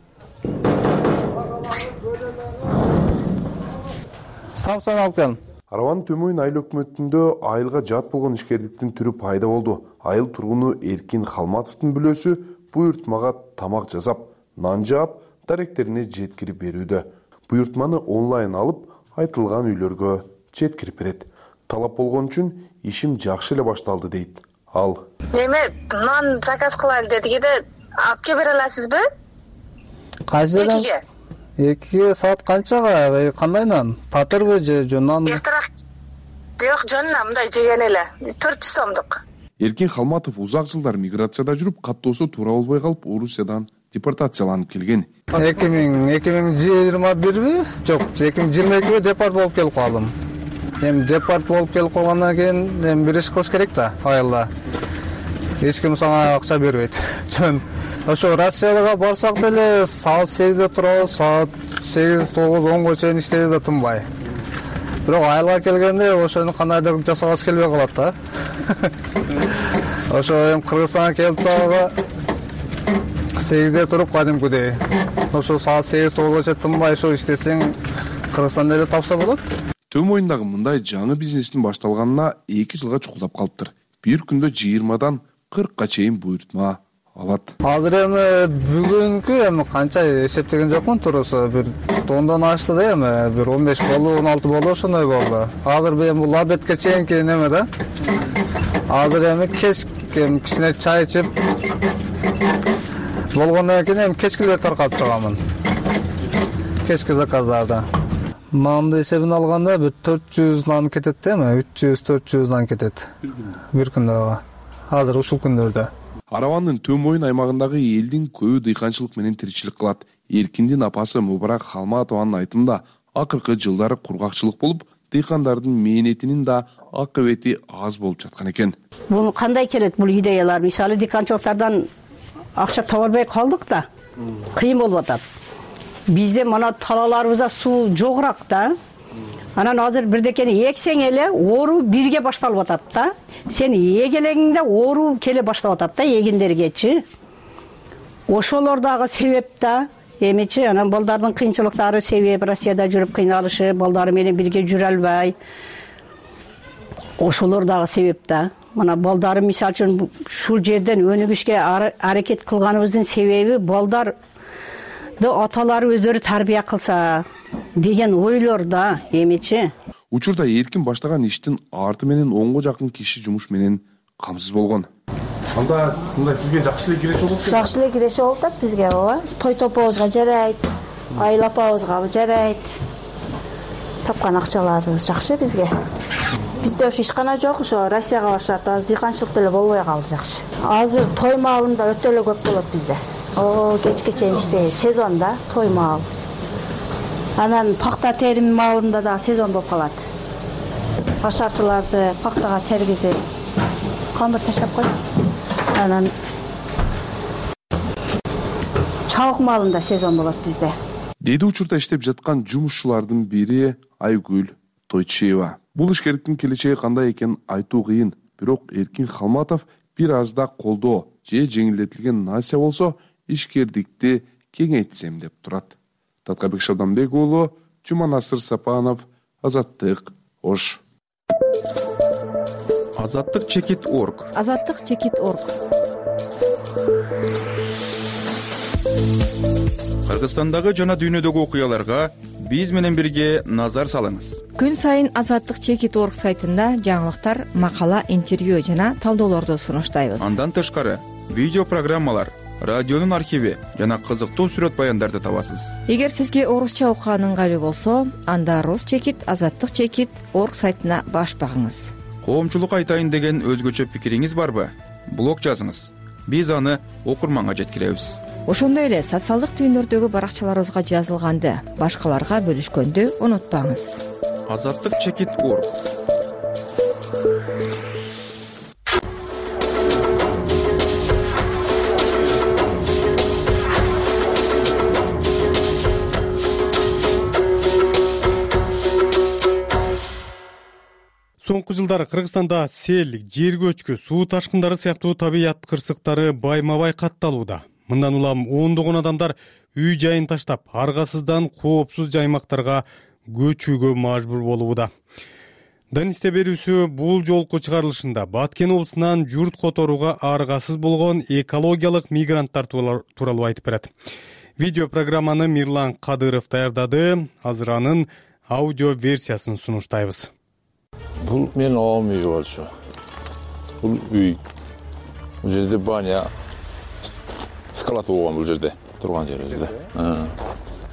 самсан алып келдим. Арабанын төмөн айыл өкмөтүндө айылга жат болгон ишкердиктин түрү пайда болду. Айыл тургуну Эркин Халматовдун бүлөсү буйртмага тамак жасап, нан жаап, даректерине жеткирип берүүдө. Буйртманы онлайн алып, айтылган үйлөргө жеткирип берет. Талап болгон үчүн ишим жакшы эле башталды, дейт ал. Эме нан заказ кылайлы дедик эле, алып келе бере аласызбы? Кайсы? Экиге. 2 саат канчага? Кандайнан? Татырбы же нан? Эртерээк. Жок, жонуна мындай жеген эле. 400 сомдук. Эркин Халматов узак жылдар миграцияда жүрүп, каттоосу туура болбой калып, Орусиядан депортацияланып келген. 2021би? Жок, 2022 депорт болуп келип калдым. Эми депорт болуп келип калгандан кийин эми бир иш кылыш керек да, айылда. Эч ким сага акча бербейт. Жөн. Ошо Россияга барсак деле саат 8де турабыз, саат 8, 9, 10го чейин иштейбиз да тынбай. Бирок айылга келгенде ошону кандайдыр жасагыбыз келбей калат да. Ошо эми Кыргызстанга келип дагы 8де туруп кадимкидей. Ошо саат 8-9го чейин тынбай ошо иштесең Кыргызстанда эле тапса болот. Төө моюндагы мындай жаңы бизнестин башталганына 2 жылга чукулдап калыптыр. Бир күндө 20дан 40ка чейин буйртма алат. Азыр эми бүгүнкү эми канча эсептеген жокмун туруусу, бир тондан ашты да эми, бир 15 болду, 16 болду, ошондой болду. Азыр эми бул обедке чейинки неме да. Азыр эми эми кичине чай ичип болгондон кийин эми кечкилер таркап чыгамын. Кечки заказдарда. Нанды эсебин алганда бир 400 нан кетет да эми, 300-400 нан кетет. Бир күндө. Азыр ушул күндөрдө. Аравандын Төө моюн аймагындагы элдин көбү дыйканчылык менен тиричилик кылат. Эркиндин апасы Мубарак Халматованын айтымында, акыркы жылдары кургакчылык болуп, дыйкандардын мээнетинин да акыбети аз болуп жаткан экен. Бул кандай келет бул идеялар? Мисалы дыйканчылыктардан акча таба албай калдык да. Кыйын болуп атат. Бизде мына талаларыбызда суу жогураак да. Анан азыр бирдекени эксең эле оору бирге башталып атат да. Сен эгелегиңде оору келе баштап атат да эгиндергечи. Ошолор дагы себеп да. Эмичи анан балдардын кыйынчылыктары себеп, Россияда жүрүп кыйналышы, балдары менен бирге жүрө албай. Ошолор дагы себеп да. Мына балдары мисалы үчүн ушул жерден өнүгүшкө аракет кылганыбыздын себеби балдарды аталары өздөрү тарбия кылса деген ойлор да, эмичи. Учурда эркин баштаган иштин арты менен 10го жакын киши жумуш менен камсыз болгон. Анда мындай сизге жакшы эле киреше болуп? Жакшы эле киреше болуп атат бизге, ооба. Той топобузга жарайт, айыл апабызга жарайт. Тапкан акчаларыбыз жакшы бизге. Бизде ошо ишкана жок, ошо Россияга барышат, азыр дыйканчылык деле болбой калды жакшы. Азыр той маалында өтө эле көп болот бизде. Кечке чейин иштейбиз, сезонда той маал. Анан пакта терим маалында да сезон болуп калат. Башарчыларды пактага тергизип, камыр ташап коюп, анан чабык маалында сезон болот бизде. Деди учурда иштеп жаткан жумушчулардын бири Айгүл Тойчиева. Бул ишкерликтин келечеги кандай экенин айтуу кыйын, бирок Эркин Халматов бир азда колдоо же жеңилдетилген насия болсо ишкердикти кеңейтсем деп турат. Таткабек Шабданбек уулу, Жуманасыр Сапанов, Азаттык, Ош. Азаттык чекит.орг. Азаттык чекит.орг. Кыргызстандагы жана дүйнөдөгү окуяларга биз менен бирге назар салыңыз. Күн сайын Азаттык чекит.орг сайтында жаңылыктар, макала, интервью жана талдоолорду сунуштайбыз. Андан тышкары видео программалар, радионун архиви жана кызыктуу сүрөт баяндарды табасыз. Эгер сизге орусча окуган ыңгайлуу болсо, анда Рус чекит, Азаттык чекит.орг сайтына баш багыңыз. Коомчулук айтайын деген өзгөчө пикириңиз барбы? Блог жазыңыз. Биз аны окурманга жеткиребиз. Ошондой эле социалдык түйүндөрдөгү баракчаларыбызга жазылганды башкаларга бөлүшкөндү унутпаңыз. Азаттык чекит.орг. Соңку жылдары Кыргызстанда сел, жер көчкү, суу ташкындары сыяктуу табият кырсыктары байма-бай катталууда. Мындан улам ондогон адамдар үй жайын таштап, аргасыздан коопсуз жаймактарга көчүүгө мажбур болууда. Данисте берүүсү бул жолку чыгарылышында Баткен облусунан журт которууга аргасыз болгон экологиялык мигранттар тууралуу айтып берет. Видео программаны Мирлан Кадыров даярдады. Азыр анын аудио версиясын сунуштайбыз. Бул менин оом үйү болчу. Бул үй. Бул жерде баня, скалат болгон бул жерде турган жерибизде.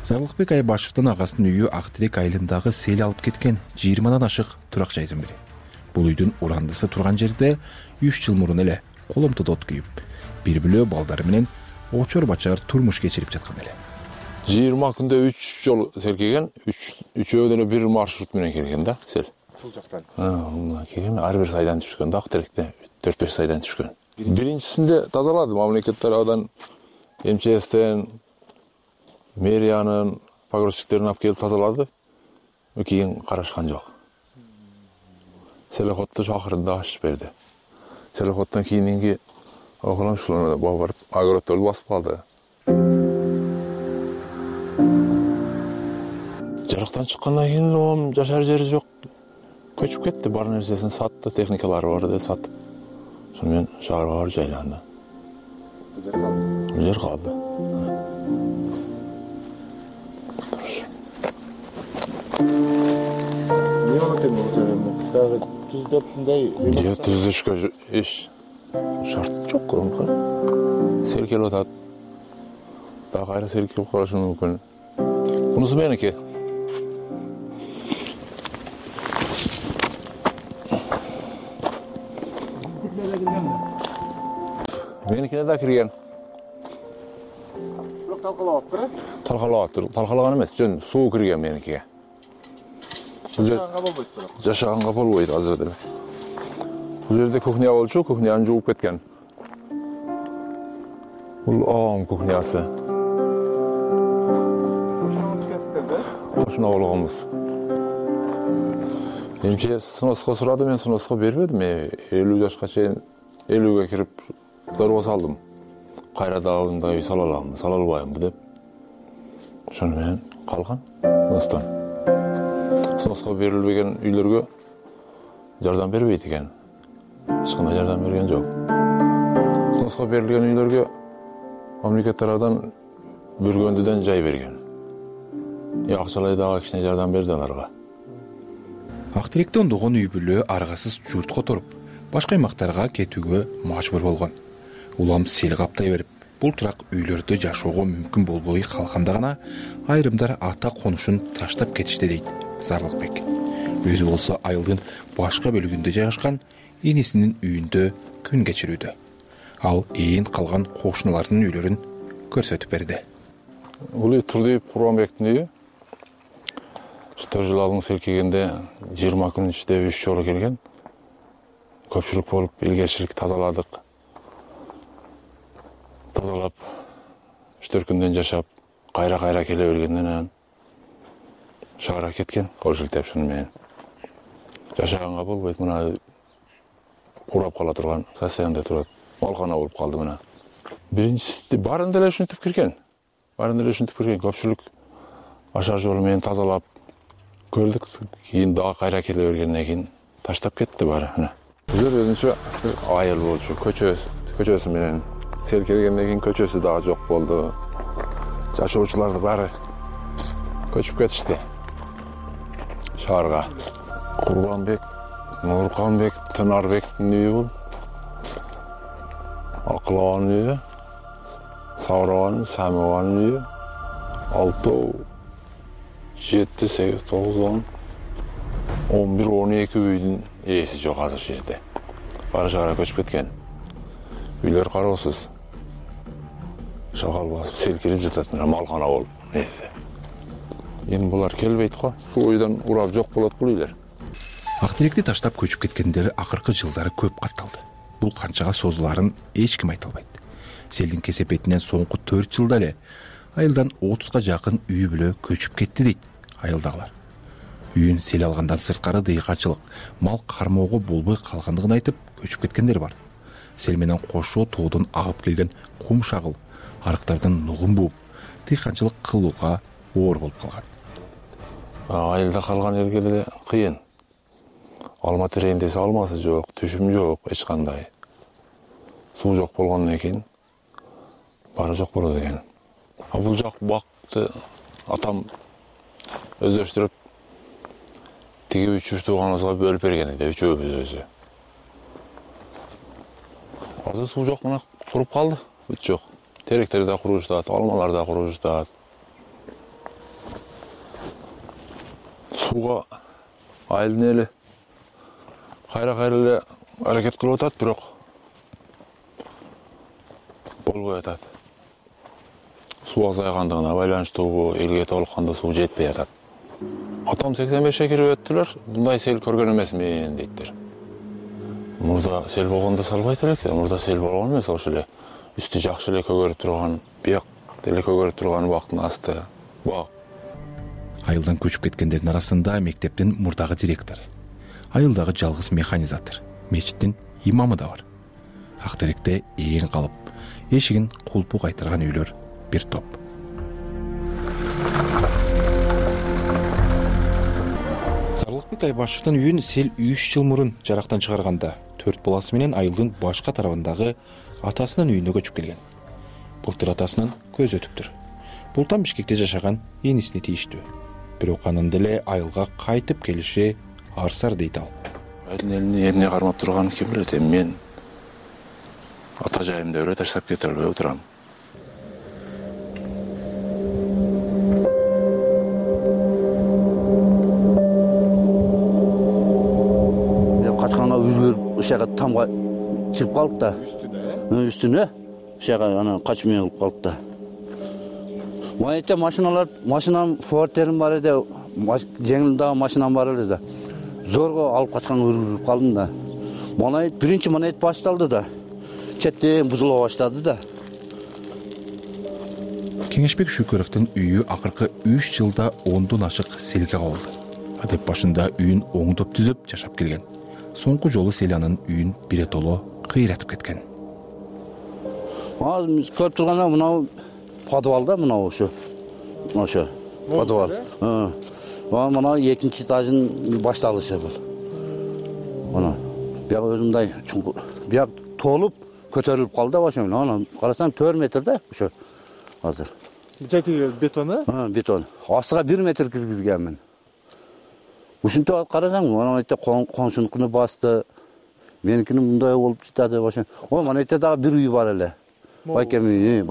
Зарлыкбек Айбашевдин агасынын үйү Ак Тилек айылындагы сел алып кеткен 20 ашык турак жайдын бири. Бул үйдүн урандысы турган жерде 3 жыл мурун эле коломтодо от күйүп, бир бүлө балдары менен очор бачар турмуш кечирип жаткан эле. 20 күндө 3 жол серкеген, үчөө деле бир маршрут менен келген да, сел. Бул жактан. Келген, ар бир сайдан түшкөн да, Ак Тилекте 4-5 сайдан түшкөн. Биринчисинде тазалады мамлекет тарабынан, МЧСтен, мэриянын погрузчиктерин алып келип тазалады. Кийин карашкан жок. Селоходду шакырды, ачып берди. Селоходдон кийинки окулам ушул барып огороддорду басып калды. Жарыктан чыккандан кийин жашар жери жок. Көчүп кетти, бар нерсесин сатты, техникалары бар деп сатып. Ошон менен шаарга барып жайланды. Жер калды. Не болот эми бул жер? Дагы түздөпсүндай. Түздүшкө эч шарт жок конко. Серкелип атат. Дагы кайра серкелип калышы мүмкүн. Мунусу меники. Меникине да кирген. Бирок талкалап атыптыр. Талкалап атыр. Талкалаган эмес, жөн суу кирген меникиге. Жашаганга болбойт бирок. Жашаганга болбойт азыр деле. Бул жерде кухня болчу, кухняны жууп кеткен. Бул оң кухнясы. Кошуна болгонбуз. МЧС сноско сурады, мен сноско бербедим. 50 жашка чейин 50ге кирип зарба салдым. Кайра дагы үй сала аламбы, сала албаймбы деп. Ошону менен калган сностон. Сноско берилбеген үйлөргө жардам бербейт экен. Эч кандай жардам берген жок. Сноско берилген үйлөргө мамлекет тарабынан бүргөндүдөн жай берген. Акчалай дагы кичине жардам берди аларга. Ак Тилекте ондогон үй бүлө аргасыз журт которуп, башка аймактарга кетүүгө мажбур болгон. Улам сел каптай берип, бул турак үйлөрдө жашоого мүмкүн болбой калганда гана айрымдар ата конушун таштап кетишти дейт Зарлыкбек. Өзү болсо айылдын башка бөлүгүндө жайгашкан энесинин үйүндө күн кечирүүдө. Ал ээн калган кошуналардын үйлөрүн көрсөтүп берди. Бул үй Турдиев Курманбектин үйү. Жылалың селкегенде 20 күн ичинде 3 жолу келген. Көпчүлүк болуп, илгерчилик тазаладык. Тазалап, 3-4 күндөн жашап, кайра келе бергенден анан шаарга кеткен, кол шилтеп шуну менен. Жашаганга болбойт, мына урап кала турган, состоянда турат. Малкана болуп калды мына. Биринчиси барын деле ушинтип кирген. Көпчүлүк ашар жолу менен тазалап көрдүк. Кийин дагы кайра келе бергенден кийин таштап кетти баары. Бул жер өзүнчө айыл болчу, көчөсү менен. Сел келгенден кийин көчөсү дагы жок болду. Жашоочуларды баары көчүп кетишти шаарга. Курбанбек, Нурканбек, Тынарбектин үйү бул. Акылованын үйү, Сабырованын, Самованын үйү. 6, 7, 8, 9, 10, 11, 12 үйдүн ээси жок азыр жерде. Баары шаарга көчүп кеткен. Үйлөр кароосуз. Шагал басып, селкирип жатат, мына малкана болуп. Эми булар келбейт го. Ушул үйдөн урап жок болот бул үйлөр. Ак Тилекти таштап көчүп кеткендер акыркы жылдары көп катталды. Бул канчага созулаарын эч ким айта албайт. Селдин кесепетинен соңку 4 жылда эле айылдан 30га жакын үй бүлө көчүп кетти дейт айылдагылар. Үйүн сел алгандан сырткары дыйкачылык, мал кармоого болбой калгандыгын айтып көчүп кеткендер бар. Сел менен кошо тоодон агып келген кум шагыл арыктардын нугун бууп, дыйканчылык кылууга оор болуп калган. Айылда калган элге деле кыйын. Алма терейин десе алмасы жок, түшүм жок, эч кандай. Суу жок болгондон кийин баары жок болот экен. Бул жак бакты атам өздөштүрүп тиги 3 тууганыбызга бөлүп берген эди, үчөөбүз өзү. Азыр суу жок, мына куруп калды, бүт жок. Теректер да куруп жатат, алмалар да куруп жатат. сууга айылдын эли кайра эле аракет кылып атат, бирок болбой атат. Суу азайгандыгына байланыштуу элге толукканда суу жетпей атат. Атам 85 кирип өттүлөр. Мындай сел көргөн эмесмин дейттер. Мурда сел болгондо салбайт элек, мурда сел болгон эмес, ошо эле үстү жакшы эле көгөрүп турган, бияк деле көгөрүп турган убактын асты бак. Айылдан көчүп кеткендердин арасында мектептин мурдагы директору, айылдагы жалгыз механизатор, мечиттин имамы да бар. Актеректе ээн калып, эшигин кулпу кайтырган үйлөр бир топ. Сарлыкбек Айбашевдин үйүн сел 3 жыл мурун жарактан чыгарганда 4 баласы менен айылдын башка тарабындагы атасынын үйүнө көчүп келген. Былтыр атасынан көз өтүптүр. Бул там Бишкекте жашаган энисине тийиштүү. Бирок анын деле айылга кайтып келиши арсар дейт ал. Айылдын элине эмне кармап турганын ким билет, мен ата жайымда эле таштап кете албай отурам. Качканга үзүлүп, ошого тамга чыгып калдык да. Үстүнө ошого анан качып менеп калдык да. Майта машинам фортерим бар эди, жеңилдагы машинам бар эле да. Зорго алып качканга үргүлүп калдым да. Биринчи монет башталды да. Четтен бузула баштады да. Кеңешбек Шүкөровдун үйү акыркы 3 жылда 10дон ашык селге кабылды. Адеп башында үйүн оңдоп түзөп жашап келген. Соңку жолу сел анын үйүн биретоло кыйратып кеткен. Көрүп турганда мынау подвалда, мынау ошо подвал. Мына экинчи этажын башталышы бул. Мына бияк өзүндай чуңкур, бияк толуп көтөрүлүп калды ошо. Анан карасаң 4 метр да ошо азыр. Жайкы бетон, бетон. Астыга 1 метр киргизгенмин. Ушинтип карасаң, мына айта консункуну басты. Меникини мындай болуп жатады ошо. Мына айта дагы бир үй бар эле. Байкем үй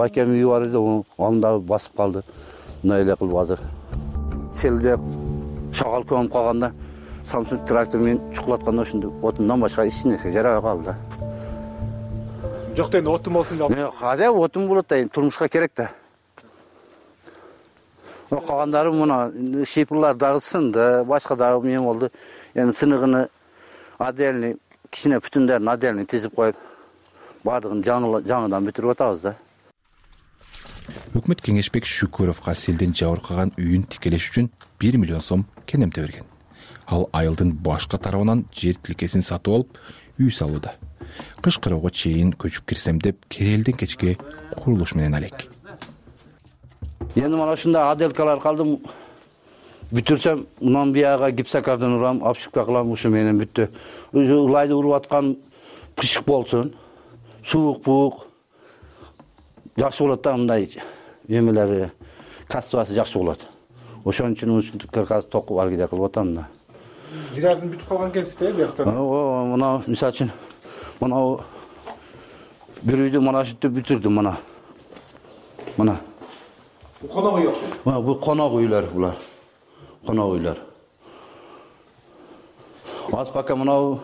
бар эле, аны дагы басып калды. Мындай эле кылып азыр. Селде шагал көмүп калганда, Samsung трактор менен чукулатканда ошондо отундан башка эч нерсе жарабай калды. Жок дейм, отун болсун деп. Каза отун болот да, турмушка керек да. Калгандары мына шипрлар дагы сынды, башка дагы мен болду. Эми сыныгыны отдельный, кичине бүтүндөрүн отдельный тизип коюп, бардыгын жаңыдан бүтүрүп атабыз да. Өкмөт Кеңешбек Шүкөровго селден жабыркаган үйүн тикелеш үчүн 1 миллион сом кенемте берген. Ал айылдын башка тарабынан жер тилкесин сатып алып, үй салууда. Кыш кыроого чейин көчүп кирсем деп керелден кечке курулуш менен алек. Эми мына ушундай аделкалар калдым. Бүтүрсөм, мындан бияга гипсокардан урам, обшивка кылам, ушу менен бүттү. Улайды уруп аткан кышык болсун, суук-буук жакшы болот да, мындай эмелери качествосы жакшы болот. Ошон үчүн ушинтип каркас токуп аргиде кылып атам да. Биразын бүтүп калган кезде бияктан. Мына мисалы үчүн мына бир үйдү мына ушинтип бүтүрдүм мына. Мына. Конок үй окшойт. Бул конок үйлөр булар. Конок үйлөр. Аз пока мына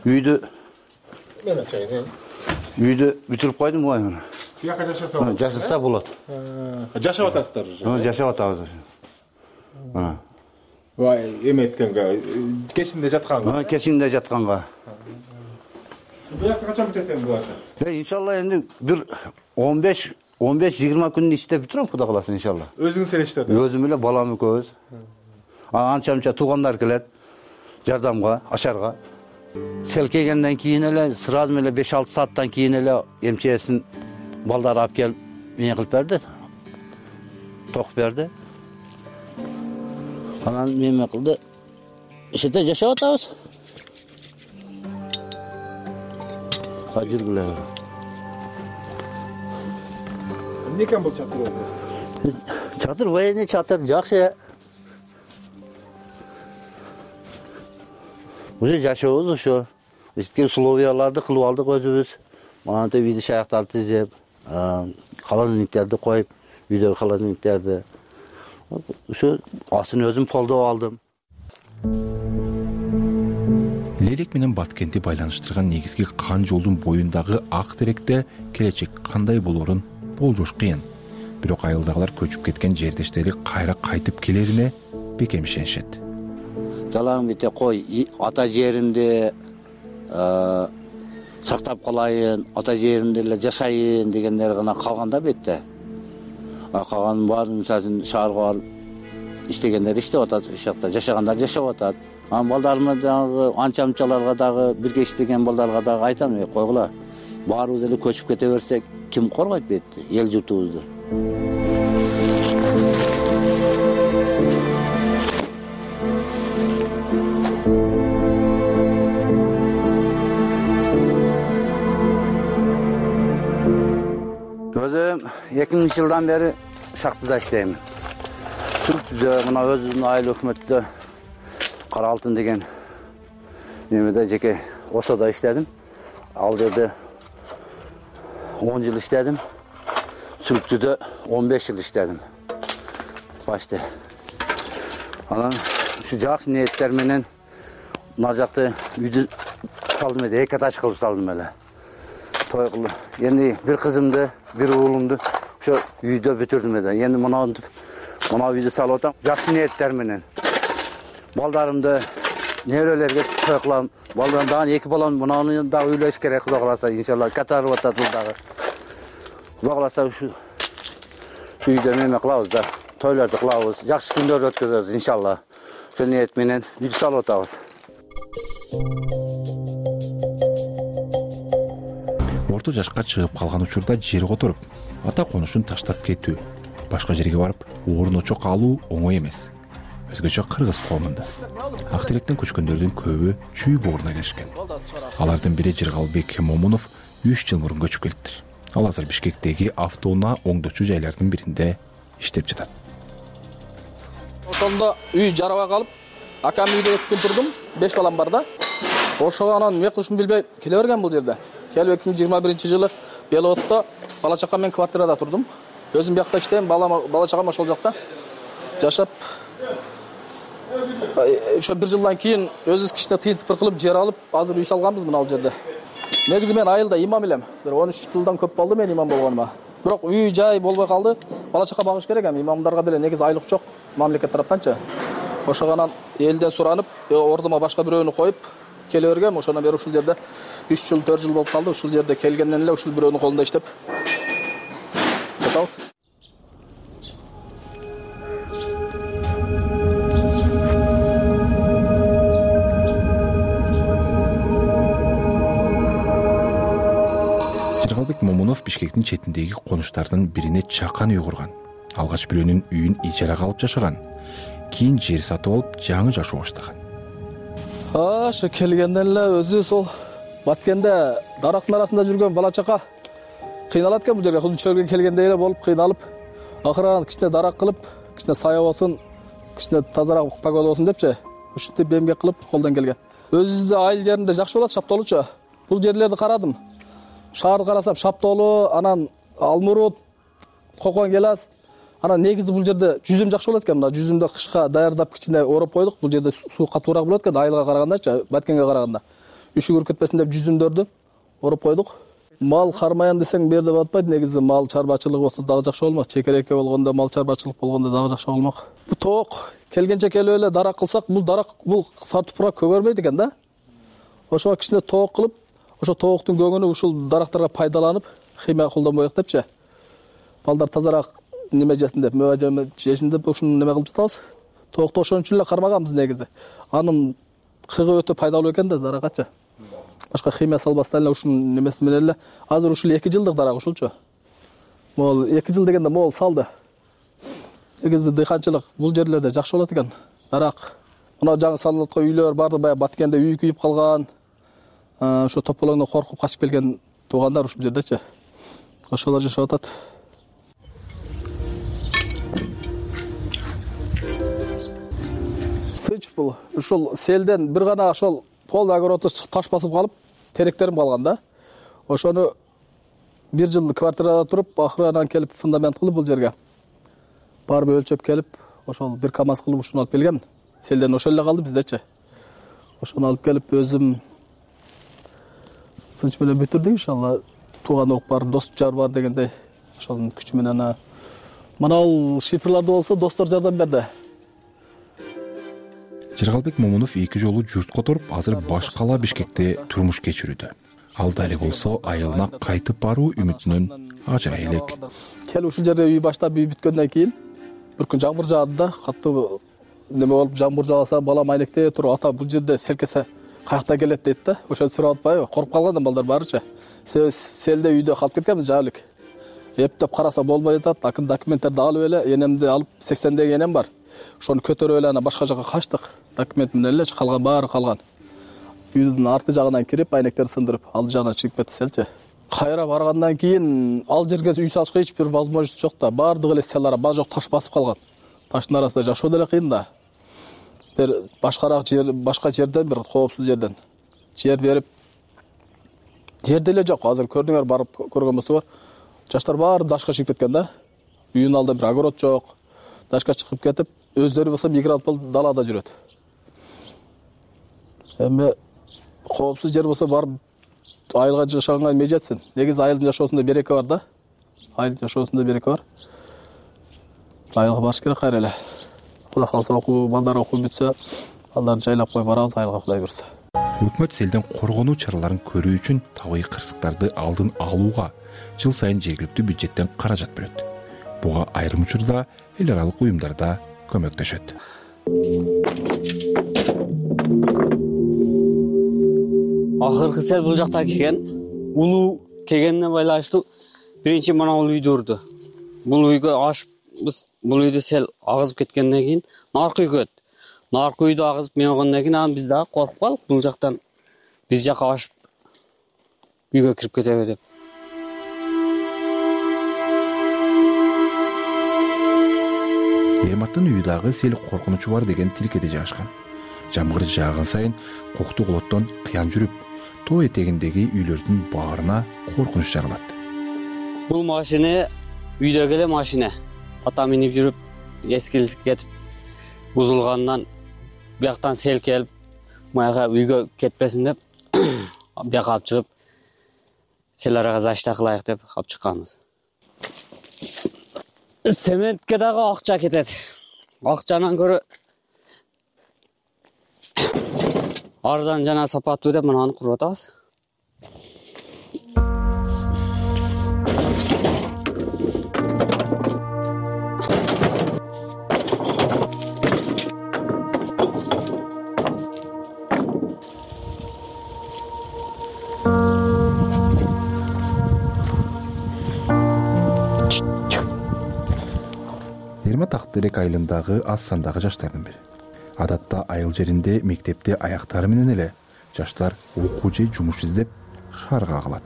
үйдү бүтүрүп койдум го мына. Бияка жашаса болот. Жашаса болот. Жашап атасыздар уже. Жашап атабыз. Эме эткенге, кечинде жатканга. Кечинде жатканга. Бияка качан бүтөсүң буларды? Иншалла энди бир 15-20 күндүн ичинде бүтүрөм, Кудай кааласа иншалла. Өзүңүз эле иштедиңиз? Өзүм эле, балам экөөбүз. Анча-мынча туугандар келет жардамга, ашарга. Сел келгенден кийин эле, сразу эле 5-6 сааттан кийин эле МЧСтин балдары алып келип, эме кылып берди. Токуп берди. Анан эме кылды. Иште жашап атабыз. Жүргүлө. Эмне экен бул чатыр? Чатыр военный чатыр жакшы. Уже жашообуз ошо. Эске условияларды кылып алдык өзүбүз. Манта види шаяктарды тизеп, холодильниктерди коюп, үйдөгү холодильниктерди. Ошо астын өзүм колдоп алдым. Лелек менен Баткенти байланыштырган негизги кан жолдун боюндагы ак теректе келечек кандай болоорун болжош кыйын. Бирок айылдагылар көчүп кеткен жердештери кайра кайтып келерине бекем ишенишет. Жалаң бите кой, ата жеримди сактап калайын, ата жеримде эле жашайын дегендер гана калганда бетте. Калганын баарын мисалы шаарга барып иштегендер иштеп атат, ошол жакта жашагандар жашап атат. Балдарыма дагы анча-мынчаларга дагы бирге иштеген балдарга дагы айтам, койгула. Баарыбыз эле көчүп кете берсек, ким коргойт бетти, эл журтубузду. Өзүм 2000-жылдан бери шахтада иштейм. Түркүдө мына өзүнүн айыл өкмөттө Кара Алтын деген немеде жеке ошодо иштедим. Ал жерде 10 жыл иштедим. Сүрүктүдө 15 жыл иштедим. Башта. Анан ушу жакшы ниеттер менен мына жакты үйдү салдым эле, эки этаж кылып салдым эле. Той кылып. Эми бир кызымды, бир уулумду ошо үйдө бүтүрдүм эле. Эми мына үйдү салып атам. Жакшы ниеттер менен. Балдарымды неберелерге той кылам. Балдарым дагы эки балам мынаны дагы үйлөш керек, Кудай кааласа, иншалла катарып атат бул дагы. Кудай кааласа ушу үйдө неме кылабыз да, тойлорду кылабыз, жакшы күндөрдү өткөзөбүз иншалла. Ошол ниет менен үйдү салып атабыз. Орто жашка чыгып калган учурда жер которуп, ата конушун таштап кетүү, башка жерге барып орун очок алуу оңой эмес. Өзгөчө кыргыз коомунда ак теректен көчкөндөрдүн көбү чүй бооруна келишкен. Алардын бири Жыргалбек Момунов 3 жыл мурун көчүп келиптир. Ал азыр Бишкектеги автоунаа оңдоочу жайлардын биринде иштеп жатат. Ошондо үй жарабай калып, акам үйдө 2 күн турдум, 5 балам бар да. Ошого анан эмне кылышымды билбей келе берген бул жерде. Келип 2021-жылы Белотто бала чакам менен квартирада турдум. Өзүм биякта иштейм, бала чакам ошол жакта жашап. Ошо 1 жылдан кийин өзүбүз кичине тыйынтыпыр кылып жер алып, азыр үй салганбыз мына бул жерде. Негизи мен айылда имам элем. Бир 13 жылдан көп болду мен имам болгоныма. Бирок үй жай болбой калды. Бала чака багыш керек эми, имамдарга деле негизи айлык жок, мамлекет тараптанчы. Ошоганан элден суранып, ордума башка бирөөнү коюп келе бергем. Ошондон бери ушул жерде 3 жыл, 4 жыл болуп калды. Ушул жерде келгенден эле ушул бирөөнүн колунда иштеп жатабыз. Жыргалбек Момунов Бишкектин четиндеги конуштардын бирине чакан үй курган. Алгач бирөөнүн үйүн ижарага алып жашаган. Кийин жер сатып алып жаңы жашоо баштаган. Ошо келгенден эле өзү сол Баткенде дарактын арасында жүргөн бала чака кыйналат экен бул жерге. Худучерге келгендей эле болуп кыйналып, акырын кичине дарак кылып, кичине сая болсун, кичине тазараак погода болсун депчи, ушинтип эмгек кылып колдон келген. Өзүбүздө айыл жеринде жакшы болот, шаптоолучу. Бул жерлерди карадым. Шаарды карасам шаптоолу, анан алмурут, кокон келас. Анан негизи бул жерде жүзүм жакшы болот экен. Мына жүзүмдү кышка даярдап кичине ороп койдук. Бул жерде суу катуураак болот экен айылга карагандачы, Баткенге караганда. Үшүгүрүп кетпесин деп жүзүмдөрдү ороп койдук. Мал кармаян десең бул жерде батпайт. Негизи мал чарбачылыгы болсо дагы жакшы болмок. Чекерекке болгондо, мал чарбачылык болгондо дагы жакшы болмок. Бул тоок келгенче келип эле дарак кылсак, бул дарак бул сатыпра көгөрбөйт экен да. Ошого кичине тоок кылып, ошо тооктун көңүнү ушул дарактарга пайдаланып, химия колдонбоек депчи. Балдар тазараак неме жесин деп, мөбө жешин деп ушуну неме кылып жатабыз. Тоокто ошон үчүн эле кармаганбыз негизи. Анын кыгы өтө пайдалуу экен да даракачы. Башка химия салбастан эле ушунун немеси менен эле азыр ушул 2 жылдык дарак ушулчу. Могул 2 жыл дегенде могул салды. Негизи дыйканчылык бул жерлерде жакшы болот экен. Дарак. Мына жаңы салынып аткан үйлөр барды баягы Баткенде үй күйүп калган. Ошо тополоңдон коркуп качып келген туугандар ушул жердечи. Ошолор жашап атат. Сыч бул ушул селден бир гана ошол пол огородду таш басып калып, теректерим калган да. Ошону 1 жыл квартирада туруп, акырынан келип фундамент кылып бул жерге. Барып өлчөп келип, ошол 1 КАМАЗ кылып ушуну алып келгем. селден ошол эле калды биздечи. Ошону алып келип өзүм сынч менен бүтүрдүк иншалла. Тууган урук бар, дос жар бар дегендей. Ошонун күчү менен мына ал шифрларды болсо достор жардам берди. Жыргалбек Момунов 2 жолу журт которуп, азыр баш кала Бишкекте турмуш кечирүүдө. Ал дали болсо айылына кайтып баруу үмүтүнөн ажырай элек. Келип ушул жерде үй баштап үй бүткөндөн кийин бир күн жамгыр жаады да, катуу неме болуп жамгыр жааса балам айнектей туруп, ата бул жерде селкесе каякта келет дейт да. Ошону сурап атпайбы? Коруп калган да балдар баарычы. Селде үйдө калып кеткенбиз жаалык. Эптеп караса болбой атат. Документтерди алып эле, энемди алып 80деги энем бар. Ошону көтөрүп эле башка жака качтык. Документ менен эле калган баары калган. Үйдүн арты жагынан кирип, айнектерди сындырып, алды жагынан чыгып кетселчи. Кайра баргандан кийин ал жерге үй салышка эч бир возможность жок да. Баардыгы эле селара жок, таш басып калган. Таштын арасында жашоо деле кыйын да. Бир башкараак жер, башка жерден бир коопсуз жерден жер берип, жер деле жок. Азыр көрдүңөр, барып көргөн болсоңор, жаштар баары дашка чыгып кеткен да. Үйүнүн алдында бир огород жок. Дашка чыгып кетип, өздөрү болсо мигрант болуп далада жүрөт. Эми коопсуз жер болсо барып айылга жашаганга эмне жетсин? Негизи айылдын жашоосунда береке бар да. Айыл жашоосунда береке бар. Айылга барыш керек кайра эле. Кудай калса балдар окуп бүтсө, балдарды жайлап коюп барабыз айылга, Кудай буйрса. Өкмөт селден коргонуу чараларын көрүү үчүн табигый кырсыктарды алдын алууга жыл сайын жергиликтүү бюджеттен каражат бөлөт. Буга айрым учурда эл аралык уюмдар да көмөктөшөт. Акыркы сел бул жакта келген. Улуу келгенине байланыштуу биринчи мына бул үйдү урду. Бул үйгө ашпыз, бул үйдү сел агызып кеткенден кийин наркы үйгө. Наркы үйдү агызып менгенден кийин анан биз дагы коркуп калдык. Бул жактан биз жака ашып үйгө кирип кетеби деп. Эрматтын үйү дагы сел коркунучу бар деген тилкеде жашкан. Жамгыр жааган сайын кокту колоттон кыян жүрүп, тоо этегиндеги үйлөрдүн баарына коркунуч жаралат. Бул машина үйдөгү эле машина. Ата минип жүрүп, эскилип кетип, бузулгандан бияктан сел келип, маяга үйгө кетпесин деп, бияка алып чыгып, сел арага защита кылайык деп алып чыкканбыз. Сементке дагы акча кетет. Акчанан көрө арзан жана сапаттуу деп мынаны куруп атабыз. Эрмат Актерек айылындагы аз сандагы жаштардын бири. Адатта айыл жеринде мектепте аяктары менен эле жаштар окуу же жумуш издеп шаарга калат.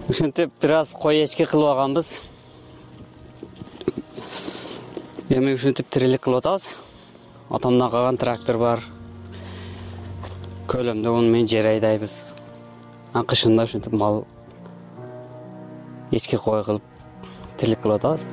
Ушинтип бир аз кой эчки кылып алганбыз. Эми ушинтип тирилик кылып атабыз. Атамдан калган трактор бар. Көлөмдө уну менен жер айдайбыз. Кышында ушинтип мал эчки кой кылып тирилик кылып атабыз.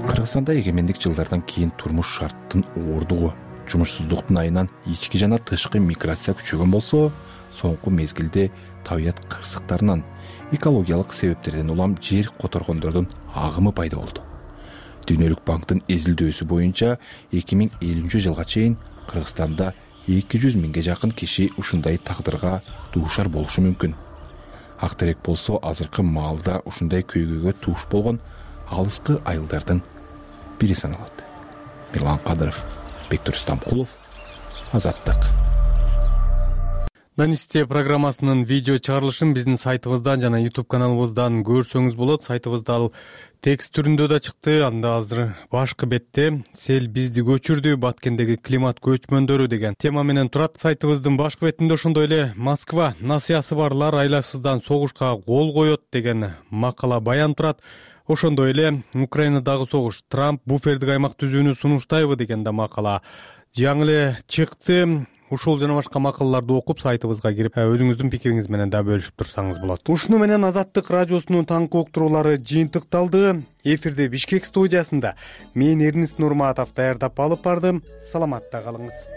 Кыргызстанда эгемендик жылдардан кийин турмуш шарттын оордугу, жумушсуздуктун айынан ички жана тышкы миграция күчөгөн болсо, соңку мезгилде табият кырсыктарынан, экологиялык себептерден улам жер которгондордун агымы пайда болду. Дүйнөлүк банктын эзилдөөсү боюнча 2050 жылга чейин Кыргызстанда 200 миңге жакын киши ушундай тагдырга дуушар болушу мүмкүн. Актерек болсо азыркы маалда ушундай көйгөйгө туш болгон алыскы айылдардын бири саналат. Мирлан Кадыров, Бектур Стамкулов, Азаттык. Данисте программасынын видео чыгарылышын биздин сайтыбыздан жана YouTube каналыбыздан көрсөңүз болот. Сайтыбызда ал текст түрүндө да чыкты. Анда азыр башкы бетте сел бизди көчүрдү, Баткендеги климат көчмөндөрү деген тема менен турат. Сайтыбыздын башкы бетинде ошондой эле Москва насыясы барлар айласыздан согушка кол коет деген макала баян турат. Ошондой эле Украинадагы согуш, Трамп буфердик аймак түзүүнү сунуштайбы деген да макала жаңы эле чыкты. ушул жана башка макалаларды окуп сайтыбызга кирип өзүңүздүн пикириңиз менен да бөлүшүп турсаңыз болот. Ушуну менен Азаттык радиосунун таңкы уктуруулары жыйынтыкталды. Эфирде Бишкек студиясында мен Эрнис Нурматов даярдап алып бардым. Саламатта калыңыз.